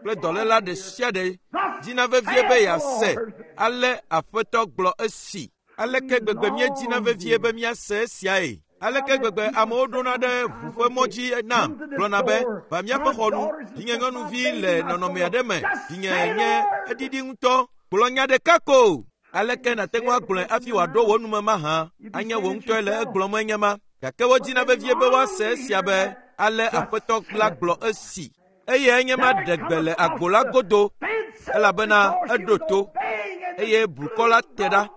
kple dɔléla ɖe sia ɖe dina vevie be yease ale Aƒetɔ gblɔ esi. Aleke gbegbe míedina vevie be míase esiae? Aleke gbegbe amewo ɖona ɖe ʋu ƒe mɔ dzi nam gblɔna be, va míaƒe xɔ nu, vinye nyɔnuvi le nɔnɔme aɖe me, vinye nye eɖiɖi ŋutɔ, gblɔ nya ɖeka ko. Aleke nàte ŋu agblɔe hafi wòaɖo wò nume mahã? Anye wò ŋutɔe le egblɔm enye ma. Gake wodina vevie be woase esia be, ale Aƒetɔ la gblɔ esi. Eye enye ma ɖe gbe le agbo la godo, elabena eɖo to, eye blukɔ la te ɖa.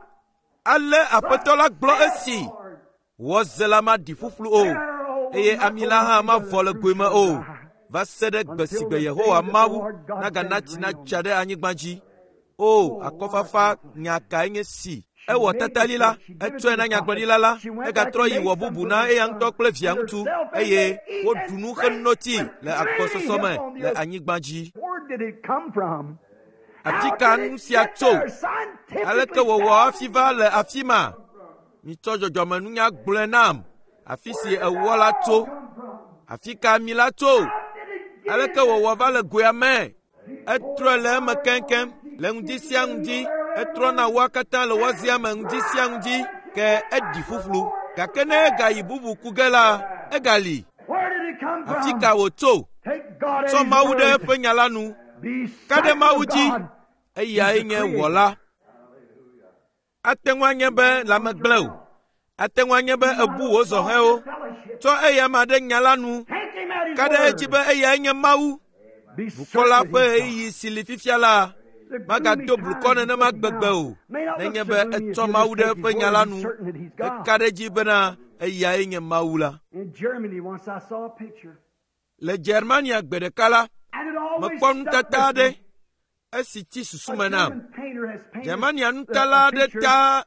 Ale Aƒetɔ la gblɔ esi, wɔze la maɖi ƒuƒlu o, eye ami la hã mavɔ le goe me o, va se ɖe gbe si gbe Yehowa Mawu nagana tsi nadza ɖe anyigba dzi. O, akɔfafa nya kae nye si! Ewɔ tatali la, etsɔe na nyagblɔɖila la, egatrɔ yi wɔ bubu na eya ŋutɔ kple via ŋutsu, eye woɖu nu heno tsi le agbɔsɔsɔ me le anyigba dzi. Afi ka nu sia tso? Aleke wòwɔ hafi va le afi ma? Mitsɔ dzɔdzɔmenunya gblɔe nam, afi si ewɔ la tso. Afi ka ami la tso? Aleke wòwɔ va le goea me? Etrɔe le eme keŋkeŋ le ŋdi sia ŋdi. Etrɔna woa katã le wɔzia me ŋdi sia ŋdi, ke eɖi ƒuƒlu. Gake ne egayi bubu ku ge la, egali. Afi ka wòtso? Tsɔ Mawu ɖe eƒe nya la nu. Ka ɖe Mawu dzi. Eyae nye wɔla. Ate ŋu anye be lãme gblẽ o. Ate ŋu anye be ebu wò zɔhɛwo. Tsɔ eya ma ɖe nya la nu. Ka ɖe edzi be eyae nye Mawu. Blukɔ la ƒe ɣeyiɣi si li fifia la magado blukɔ nenema gbegbe o, nenye be etsɔ Mawu ɖe eƒe nya la nu, eka ɖe edzi bena eyae nye Mawu la. Le Germania gbe ɖeka la, mekpɔ nutata aɖe esi tsi susu me nam. Germania nutala aɖe ta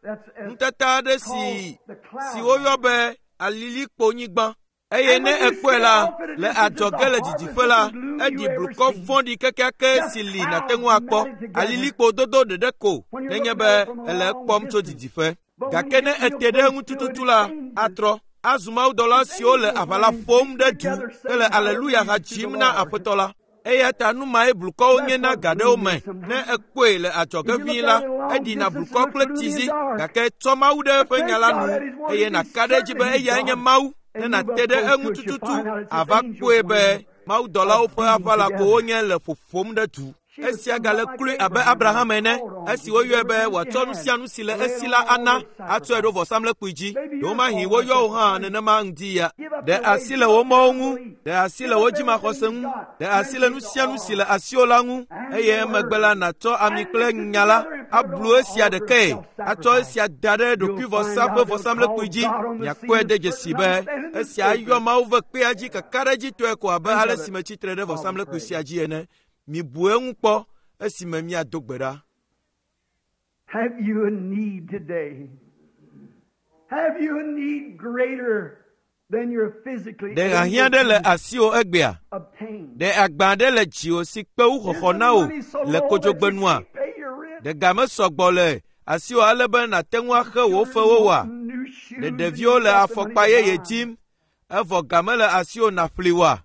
nutata aɖe si woyɔ be alilikponyigba. Eye ne ekpɔe la, le adzɔge le didiƒe la, eɖi blukɔ vɔ̃ɖi kekeake si li nàte ŋu akpɔ. Alilikpo dodo ɖeɖe ko nenye be ele ekpɔm tso didiƒe. Gake ne ete ɖe eŋu tututu la, atrɔ azu mawudɔla siwo le aʋala ƒom ɖe du hele aleluya ha dzim na Aƒetɔ la. Eya ta nu mae blukɔwo nye na ga ɖewo me. Ne ekpɔe le adzɔge ʋĩi la, eɖina blukɔ kple tsizi, gake tsɔ Mawu ɖe eƒe nya la nu, eye nàka ɖe edzi be eyae nye Mawu. Ne nàte ɖe eŋu tututu, ava kpɔe be mawudɔlawo ƒe aʋala ko wonye le ƒoƒom ɖe du. Esia gale kloe abe Abraham ene, esi woyɔe be wòatsɔ nu sia nu si le esi la ana atsɔe ɖo vɔsamlekpui dzi. Ɖewomahi woyɔ wò hã nenema ŋdi ya. Ɖe asi le wò mɔwo ŋu, ɖe asi le wò dzimaxɔse ŋu, ɖe asi le nu sia nu si le asiwò la ŋu, eye emegbe la nàtsɔ ami kple nya la ablu esia ɖekae, atsɔ esia da ɖe ɖokuivɔsa ƒe vɔsamlekpui dzi. Miakpɔe de dzesi be esia ayɔ Mawu ƒe kpea dzi kakaɖedzitɔe ko abe ale si metsi tre ɖe vɔsamlekpui sia dzi ene. Mibu eŋu kpɔ esime miado gbe ɖa. Have you a need today? Have you a need greater than you're physically Ɖe hiahiã able ɖe le to asiwò egbea? obtain? Ɖe agba ɖe le dziwò si kpe wu xɔxɔ na wò le kodzogbenua? Ɖe ga mesɔgbɔ le asiwò ale be nàte ŋu axe wò fewo oa? Ɖe ɖeviwo le afɔkpa yeye dim, evɔ ga mele asiwò nàƒli oa?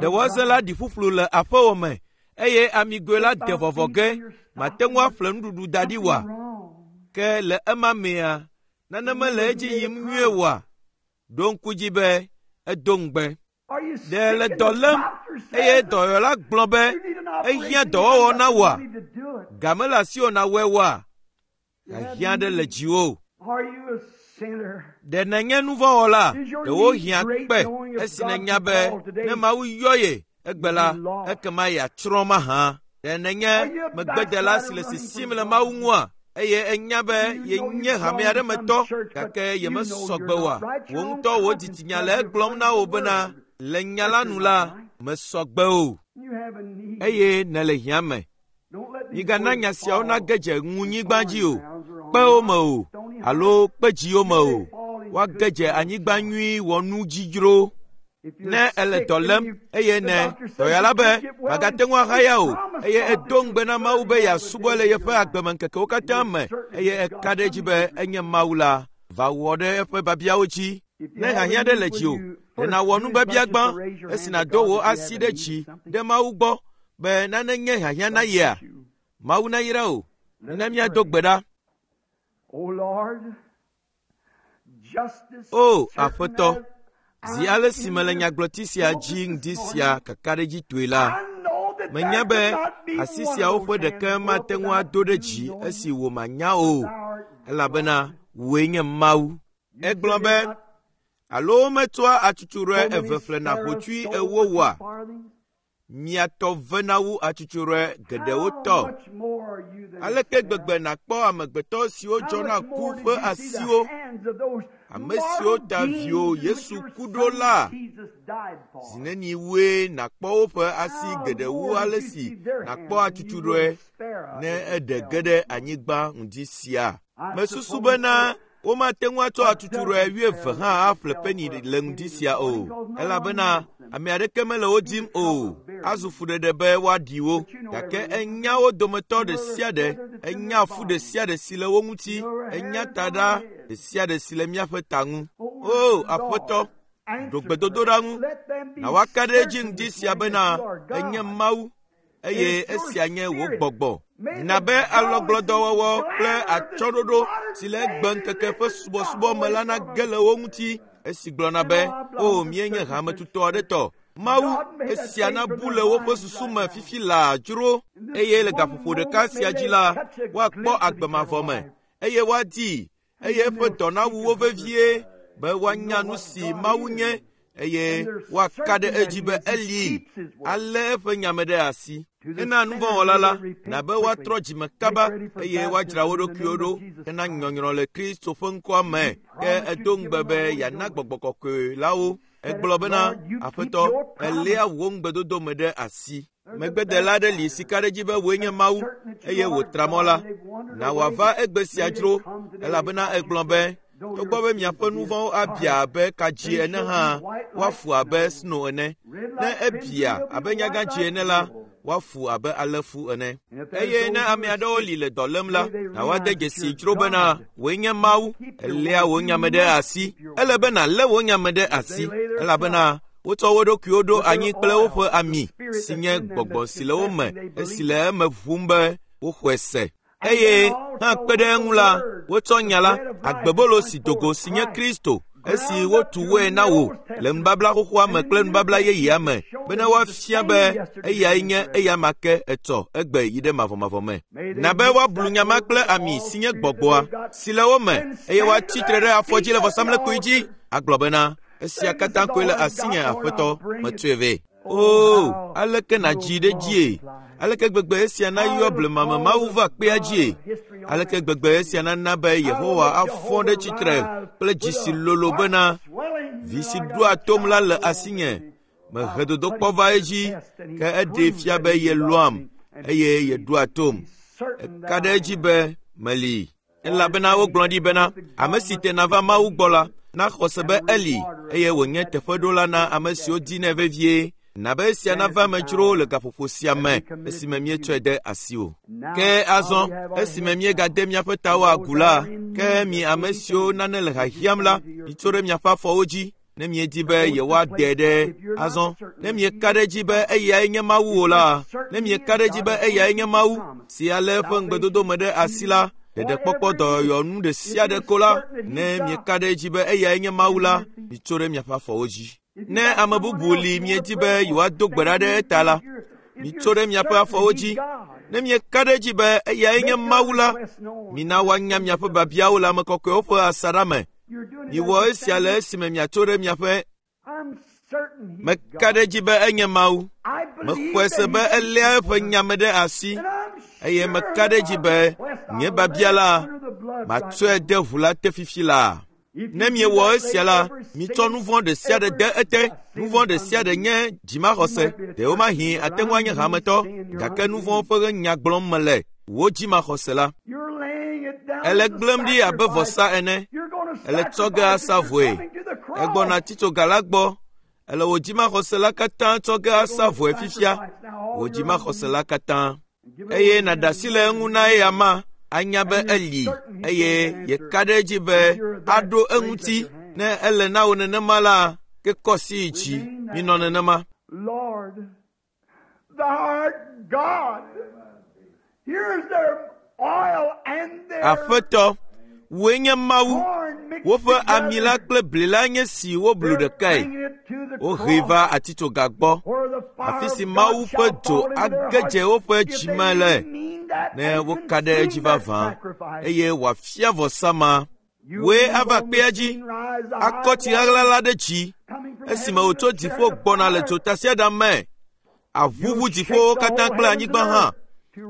Ɖe wɔze la ɖi ƒuƒlu le aƒewò me, eye amigoe la de vɔvɔ ge, màte ŋu aƒle nuɖuɖu da ɖi oa? Ke le ema mea, nane mele edzi yim nyuie oa? Ɖo ŋku dzi be edo ŋugbe. Ɖe le dɔ lém eye dɔyɔla gblɔ be ehiã dɔwɔwɔ na wòa? Ga mele asiwò nàwɔe oa? Hiahiã aɖe le dziwò. Ɖe nènye nuvɔ̃wɔla? Ɖewo hiã kpe esi nènya be ne Mawu yɔ ye egbe la, ekema yeatsrɔ̃ mahã. Ɖe nènye megbedela si le sisim le Mawu ŋua? Eye enya be yenye hame aɖe me tɔ, gake yemesɔ gbe oa? Wò ŋutɔ wò dzitsinya le egblɔm na wò bena le nya la nu la, mesɔ gbe o, eye nèle hiã me. Migana nya siawo nage dze ŋunyigba dzi o, kpewo me o, alo kpedziwo me o. Woage dze anyigba nyui wɔnu dzi dzro. Ne ele dɔ lém eye ne dɔyɔla be magate ŋu ahaya o, eye edo ŋugbe na Mawu be yeasubɔe le yeƒe agbemeŋkekewo katã me, eye eka ɖe edzi be enye Mawu la, va wɔ ɖe eƒe biabiawo dzi. Ne hiahiã ɖe le dziwò, ɖe nàwɔ nubiabia gbã esi nàdo wò asi ɖe dzi ɖe Mawu gbɔ be nane nye hiahiã na yea? Mawu nayra wò. Mina míado gbe ɖa. O Lord, O Aƒetɔ, zi ale si mele nyagblɔti sia dzi ŋdi sia kakaɖedzitɔe la, menya be asi siawo ƒe ɖeke mate ŋu ado ɖe dzi esi wò manya o, elabena wòe nye Mawu. Egblɔ be, alo wometsɔa atsutsurɔe eve ƒlena hotsui ewo oa? Mia tɔ vena wu atsutsurɔe geɖewo tɔ. Aleke gbegbe nàkpɔ amegbetɔ siwo dzɔna ku ƒe asiwo, ame siwo ta viwò Yesu ku ɖo la? Zi neni wue nàkpɔ woƒe asi geɖe wu ale si nàkpɔ atsutsurɔe ne eɖe ge ɖe anyigba ŋdi sia? Mesusu bena womate ŋu atsɔ atsutsurɔe wuieve hã aƒle peni le ŋdi sia o, elabena ame aɖeke mele wo dim o. Azu fuɖeɖe be woaɖi wo, gake enya wo dometɔ ɖe sia ɖe, enya fu ɖe sia ɖe si le wo ŋuti, enya taɖa ɖe sia ɖe si le míaƒe ta ŋu. O Aƒetɔ, ɖo gbedodoɖa ŋu, na woaka ɖe edzi ŋdi sia bena enye Mawu eye esia nye wò gbɔgbɔ. Na be alɔgblɔdɔwɔwɔ kple atsyɔ̃ɖoɖo si le egbeŋkeke ƒe subɔsubɔ me la nage le wo ŋuti esi gblɔna be, “O, míenye hametutɔ aɖe tɔ.” Mawu, esia nabu le woƒe susu me fifi laa dzro eye le gaƒoƒo ɖeka sia dzi la, woakpɔ agbe mavɔ me eye woadii eye eƒe dɔ nawu wo vevie be woanya nu si Mawu nye eye woaka ɖe edzi be eli alé eƒe nyame ɖe asi. Hena nuvɔ̃wɔla la, na be woatrɔ dzime kaba eye woadzra wo ɖokuiwo ɖo hena nyɔnyrɔ le Kristo ƒe ŋkɔa me. Ke edo ŋugbe be yeana gbɔgbɔ kɔkɔe la wo. Egblɔ bena, Aƒetɔ, èléa wò ŋugbedodo me ɖe asi. Megbedela aɖe li si ka ɖe edzi be wòe nye Mawu eye wòtra mɔ la. Na wòava egbe sia dzro, elabena egblɔ be, togbɔ be miaƒe nu vɔ̃wo abia abe kadzi ene hã, woafu abe sno ene. Ne ebia abe nyagãdzi ene la, woafu abe alẽfu ene. Eye ne ame aɖewo li le dɔ lém la, na woade dzesi dzro bena wòe nye Mawu, èléa wò nya me ɖe asi. Ele be nàlé wò nya me ɖe asi, elabena wotsɔ wo ɖokuiwo ɖo anyi kple woƒe ami si nye gbɔgbɔ si le wo me esi le eme ʋum be woxɔe se. Eye hã kpe ɖe eŋu la, wotsɔ nya la, agbebolo si do go si nye Kristo, esi wotu woe na wò le nubabla xoxoa me kple nubabla yeyea me, bene woafia be eyae nye eyama ke etsɔ egbe yi ɖe mavɔmavɔ me. Na be woablu nya ma kple ami si nye gbɔgbɔa si le wo me eye woatsi tre ɖe afɔdzi le vɔsamlekpui dzi agblɔ bena, esia katã koe le asinye Aƒetɔ, metsɔe vɛ. Oo, aleke nàdzi ɖe edzie? Aleke gbegbe esia nayɔ blemame Mawu va kpea dzie? Aleke gbegbe esia nana be Yehowa afɔ ɖe tsitre kple dzi si lolo bena, vi si ɖoa tom la le asinye. Mehe dodokpɔ va edzi, ke eɖee fia be yelɔ̃am eye yeɖoa tom. Eka ɖe edzi be meli. Elabena wogblɔ ɖi bena, ame si tena va Mawu gbɔ la, naxɔ se be eli eye wònye teƒeɖola na ame siwo dinɛ vevie. Na be esia nava eme dzro le gaƒoƒo sia me esime míetsɔe de asiwò. Ke azɔ, esime míegade míaƒe tawo agu la, ke mi ame siwo nane le hiahiãm la, mitso ɖe miaƒe afɔwo dzi ne miedi be yewoaɖe ɖe azɔ. Ne mieka ɖe edzi be eyae nye Mawu o la, ne mieka ɖe edzi be eyae nye Mawu si alé eƒe ŋugbedodo me ɖe asi la, ɖeɖekpɔkpɔ dɔyɔyɔ nu ɖe sia ɖe ko la, ne mieka ɖe edzi be eyae nye Mawu la, mitso ɖe miaƒe afɔwo dzi. Ne ame bubu li miedi be yewoado gbe ɖa ɖe eta la, mitso ɖe miaƒe afɔwo dzi. Ne mieka ɖe edzi be eyae nye Mawu la, mina woanya miaƒe biabiawo le ame kɔkɔewo ƒe asaɖa me. Miwɔ esia le esime miatso ɖe miaƒe Meka ɖe edzi be enye Mawu. Mexɔe se be eléa eƒe nya me ɖe asi eye meka ɖe edzi be nye biabia la, matsɔe de ʋu la te fifi laa. Ne miewɔ esia la, mitsɔ nu vɔ̃ ɖe sia ɖe de ete. Nu vɔ̃ ɖe sia ɖe nye dzimaxɔse. Ɖewomahi ate ŋu anye hametɔ, gake nu vɔ̃ ƒe nya gblɔm mele. Wò dzimaxɔse la, ele gblẽm ɖi abe vɔsa ene. Ele tsɔ ge asa vɔe. Egbɔna titsoga la gbɔ. Ele wò dzimaxɔse la katã tsɔ ge asa vɔe fifia. Wò dzimaxɔse la katã. Eye nàɖe asi le eŋu na eya ma anya be eli eye yeka ɖe edzi be aɖo eŋuti. Ne ele na wò nenema la, ke kɔ asi yi dzi. Minɔ nenema. Lord, thou art God. Here's their oil and their Aƒetɔ, Wòe nye Mawu. Woƒe ami la kple bli la nye si woblu ɖekae. Wohee va atitsoga gbɔ, afi si Mawu ƒe dzo age dze woƒe dzime le ne woka ɖe edzi vavã eye wòafia vɔsa ma. Wòe ava kpea dzi, akɔ tsi ɣaɣla la ɖe dzi esime wòtso dziƒo gbɔna le dzotasiaɖam me. Aʋuʋu dziƒowo katã kple anyigba hã,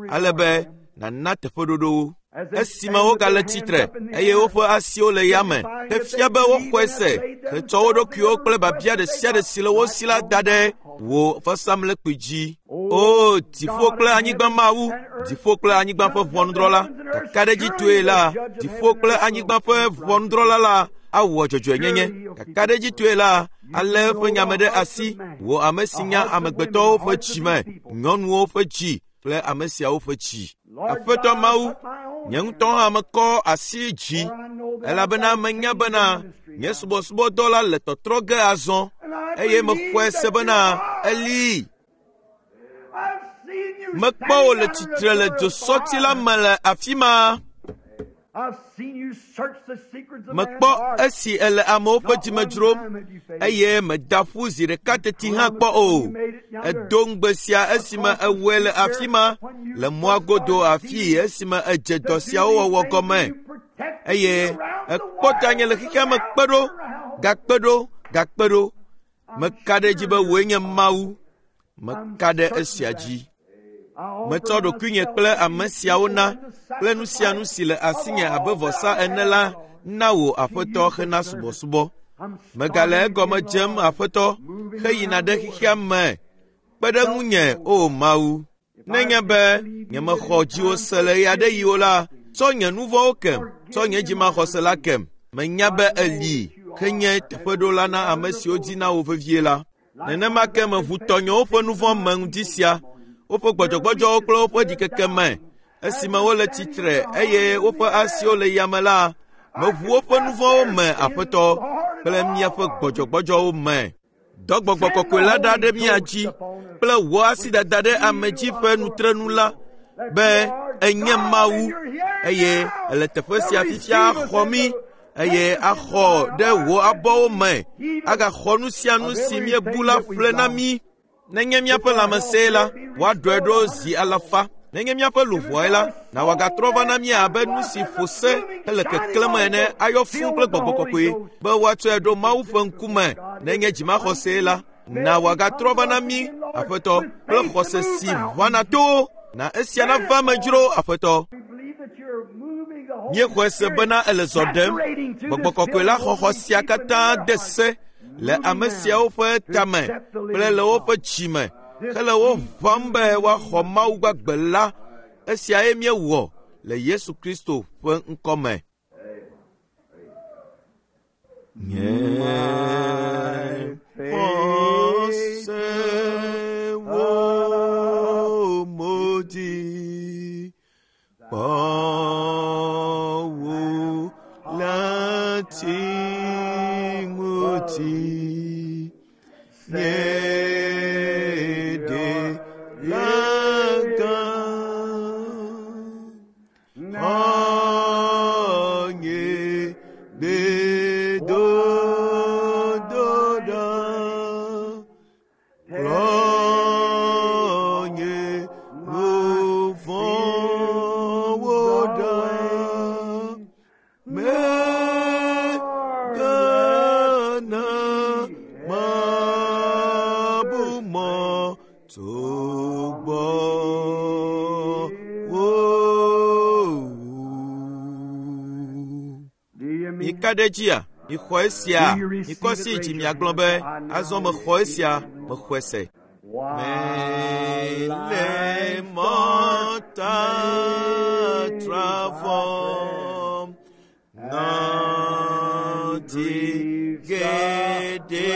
ale be nàna teƒeɖoɖo wo. Esime wogale tsitre eye woƒe asiwo le yame, hefia be woxɔe se hetsɔ wo ɖokuiwo kple biabia ɖe sia ɖe si le wo si la da ɖe wò vɔsamlekpui dzi. O dziƒo kple anyigba Mawu, dziƒo kple anyigba ƒe ʋɔnudrɔ̃la, kakaɖedzitɔe la, dziƒo kple anyigba ƒe ʋɔnudrɔ̃la la awɔ dzɔdzɔenyenye. Kakaɖedzitɔe la, alé eƒe nya me ɖe asi, wò ame si nya amegbetɔwo ƒe dzime, nyɔnuwo ƒe dzi kple ame siawo ƒe dzi. Aƒetɔ Mawu, nye ŋutɔ hã mekɔ asi dzi, elabena menya bena nye subɔsubɔdɔ la le tɔtrɔ ge azɔ, eye mexɔe se bena eli. Mekpɔ wò le tsitre le dzosɔti la me le afi ma. Mekpɔ esi èle amewo ƒe dzime dzrom, eye mèda ƒu zi ɖeka teti hã kpɔ o. Èdo ŋugbe sia esime èwɔe le afi ma, le mɔa godo afii esime èdze dɔ siawo wɔwɔ gɔme, eye èkpɔ tanye le xexea me kpe ɖo, gakpe ɖo, gakpe ɖo. Meka ɖe edzi be wòe nye Mawu. Meka ɖe esia dzi. Metsɔ ɖokuinye kple ame siawo na kple nu sia nu si le asinye abe vɔsa ene la na wò Aƒetɔ hena subɔsubɔ. Megale egɔme dzem Aƒetɔ heyina ɖe xexea me. Kpe ɖe ŋunye, O Mawu. Nenye be nyemexɔ dziwò se le ɣeaɖeɣi o la, tsɔ nye nu vɔ̃wo kem, tsɔ nye dzimaxɔse la kem. Menya be èli henye teƒeɖola na ame siwo dina wò vevie la. Nenema ke meʋu tɔnyewo ƒe nu vɔ̃ me ŋdi sia, woƒe gbɔdzɔgbɔdzɔwo kple woƒe ɖikeke me. Esime wole tsitre eye woƒe asiwo le yame la, meʋu woƒe nu vɔ̃wo me, Aƒetɔ, kple míaƒe gbɔdzɔgbɔdzɔwo me. Dɔ gbɔgbɔ kɔkɔe la ɖa ɖe mía dzi kple wò asidada ɖe ame dzi ƒe nutrenu la be ènye Mawu eye èle teƒe sia fifia xɔ mí eye axɔ ɖe wò abɔwo me agaxɔ nu sia nu si míebu la ƒle na mí. Nenye míaƒe lãmesẽe la, woaɖɔe ɖo zi alafa. Nenye míaƒe luʋɔe la, na wòagatrɔ va na mí abe nu si ƒo se hele keklẽm ene ayɔ fũu kple gbɔgbɔ kɔkɔe be woatsɔe ɖo Mawu ƒe ŋkume. Nenye dzimaxɔsee la, na wòagatrɔ va na mí, Aƒetɔ, kple xɔse si ʋãna towo. Na esia nava eme dzro, Aƒetɔ. Míexɔe se bena èle zɔ ɖem. Gbɔgbɔ kɔkɔe la xɔxɔ sia katã de se le ame siawo ƒe tame kple le woƒe dzime hele wo ʋãm be woaxɔ Mawu gbagbe la. Esiae míewɔ le Yesu Kristo ƒe ŋkɔ me. Nye xɔse wo mo dzi kpɔ wo lati ŋuti. Nye ɖela gã. Xɔnye gbedodoɖa. Kplɔ nye nu vɔ̃wo ɖa. Mègana mabu mɔ tso gbɔwò o. Mika ɖe edzia? Mixɔ esia? Mikɔ asi dzi miagblɔ be, azɔ mexɔ esia, mexɔe se. Mele mɔtatra vɔm, ŋɔdzi geɖe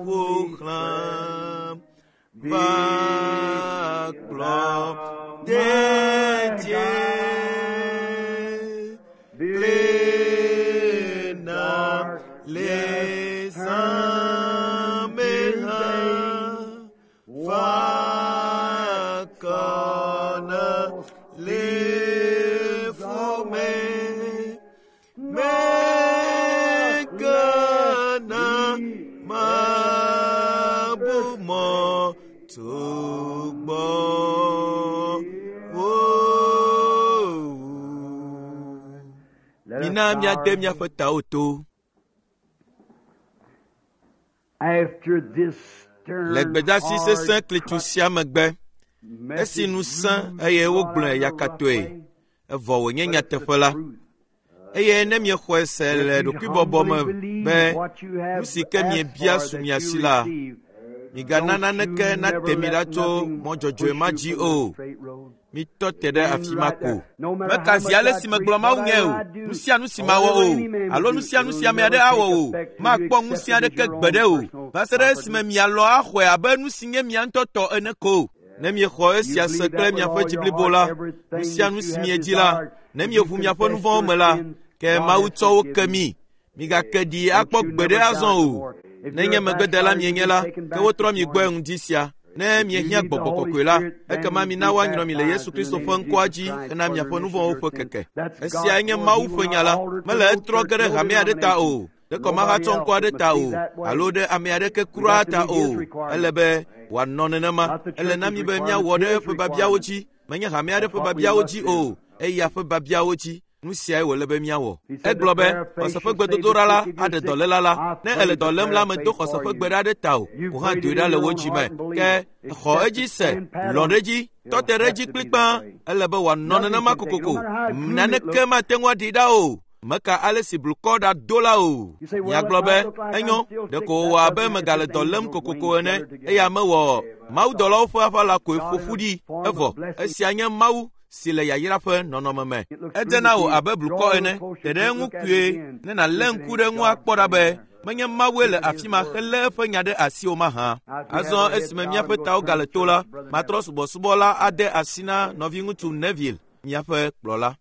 ƒo xlãm. Va kplɔ dedie. Klena le zã me hã. Fa kɔ na le fu me. Mabu mɔ to gbɔ wo. Let us Mina bow míade our míaƒe tawo to. After this stern, Le gbedasi hard sesẽ klitsu sia megbe, esi nu sẽ eye wogblɔe yakatɔe, evɔ wònye nyateƒe la, eye ne miexɔe se le ɖokuibɔbɔ me be nu si ke miebia su mia si la, migana naneke nate mi ɖa tso mɔ dzɔdzɔe ma dzi o. Mitɔ te ɖe afi ma ko. Meka zi ale si megblɔ Mawu nɛ o, nu sia nu si mawɔ o, alo nu sia nu si ame aɖe awɔ o, makpɔ ŋusẽ aɖeke gbeɖe o, va se ɖe esime mialɔ̃ axɔe abe nu si nye mia ŋutɔ tɔ ene ko. Ne miexɔ esia se kple miaƒe dzi blibo la, nu sia nu si miedi la, ne mieʋu miaƒe nu vɔ̃wo me la, ke Mawu tsɔ wo ke mi. Migake ɖi akpɔ gbeɖe azɔ o. Nenye megbedela mienye la, ke wotrɔ mi gbɔe ŋdi sia. Ne miehiã gbɔgbɔ kɔkɔe la, ekema mina woanyrɔ mi le Yesu Kristo ƒe ŋkɔa dzi hena miaƒe nu vɔ̃wo ƒe keke. Esiae nye Mawu ƒe nya la. Mele etrɔ ge ɖe hame aɖe ta o, ɖe kɔmahatsɔ ŋkɔ aɖe ta o, alo ɖe ame aɖeke kura ta o. Ele be wòanɔ nenema. Ele na mi be míawɔ ɖe eƒe biabiawo dzi. Menye hame aɖe ƒe biabiawo dzi o, eya ƒe biabiawo dzi. Nu siae wòle be míawɔ. Egblɔ be xɔse ƒe gbedodoɖa la aɖe dɔléla la. Ne èle dɔ lém la, medo xɔse ƒe gbe ɖa ɖe ta o. Wò hã doe ɖa le wò dzi me. Ke xɔ edzi se, lɔ̃ ɖe edzi, tɔ te ɖe edzi kplikpaa. Ele be wòanɔ nenema kokoko. Naneke mate ŋu aɖee ɖa o. Meka ale si blukɔ ɖa do la o. Miagblɔ be, enyo, ɖeko wòwɔ abe megale dɔ lém kokoko ene eya mewɔ mawudɔlawo ƒe aʋala koe ƒo ƒu ɖi. Evɔ, esia nye Mawu si le yayra ƒe nɔnɔme me. Edze na wò abe blukɔ ene, te ɖe eŋu kpuie ne nàlé ŋku ɖe eŋu akpɔ ɖa be menye Mawue le afi ma helé eƒe nya ɖe asiwò mahã. Azɔ esime míaƒe tawo gale to la, matrɔ subɔsubɔ la ade asi na nɔviŋutsu Neville, míaƒe kplɔla.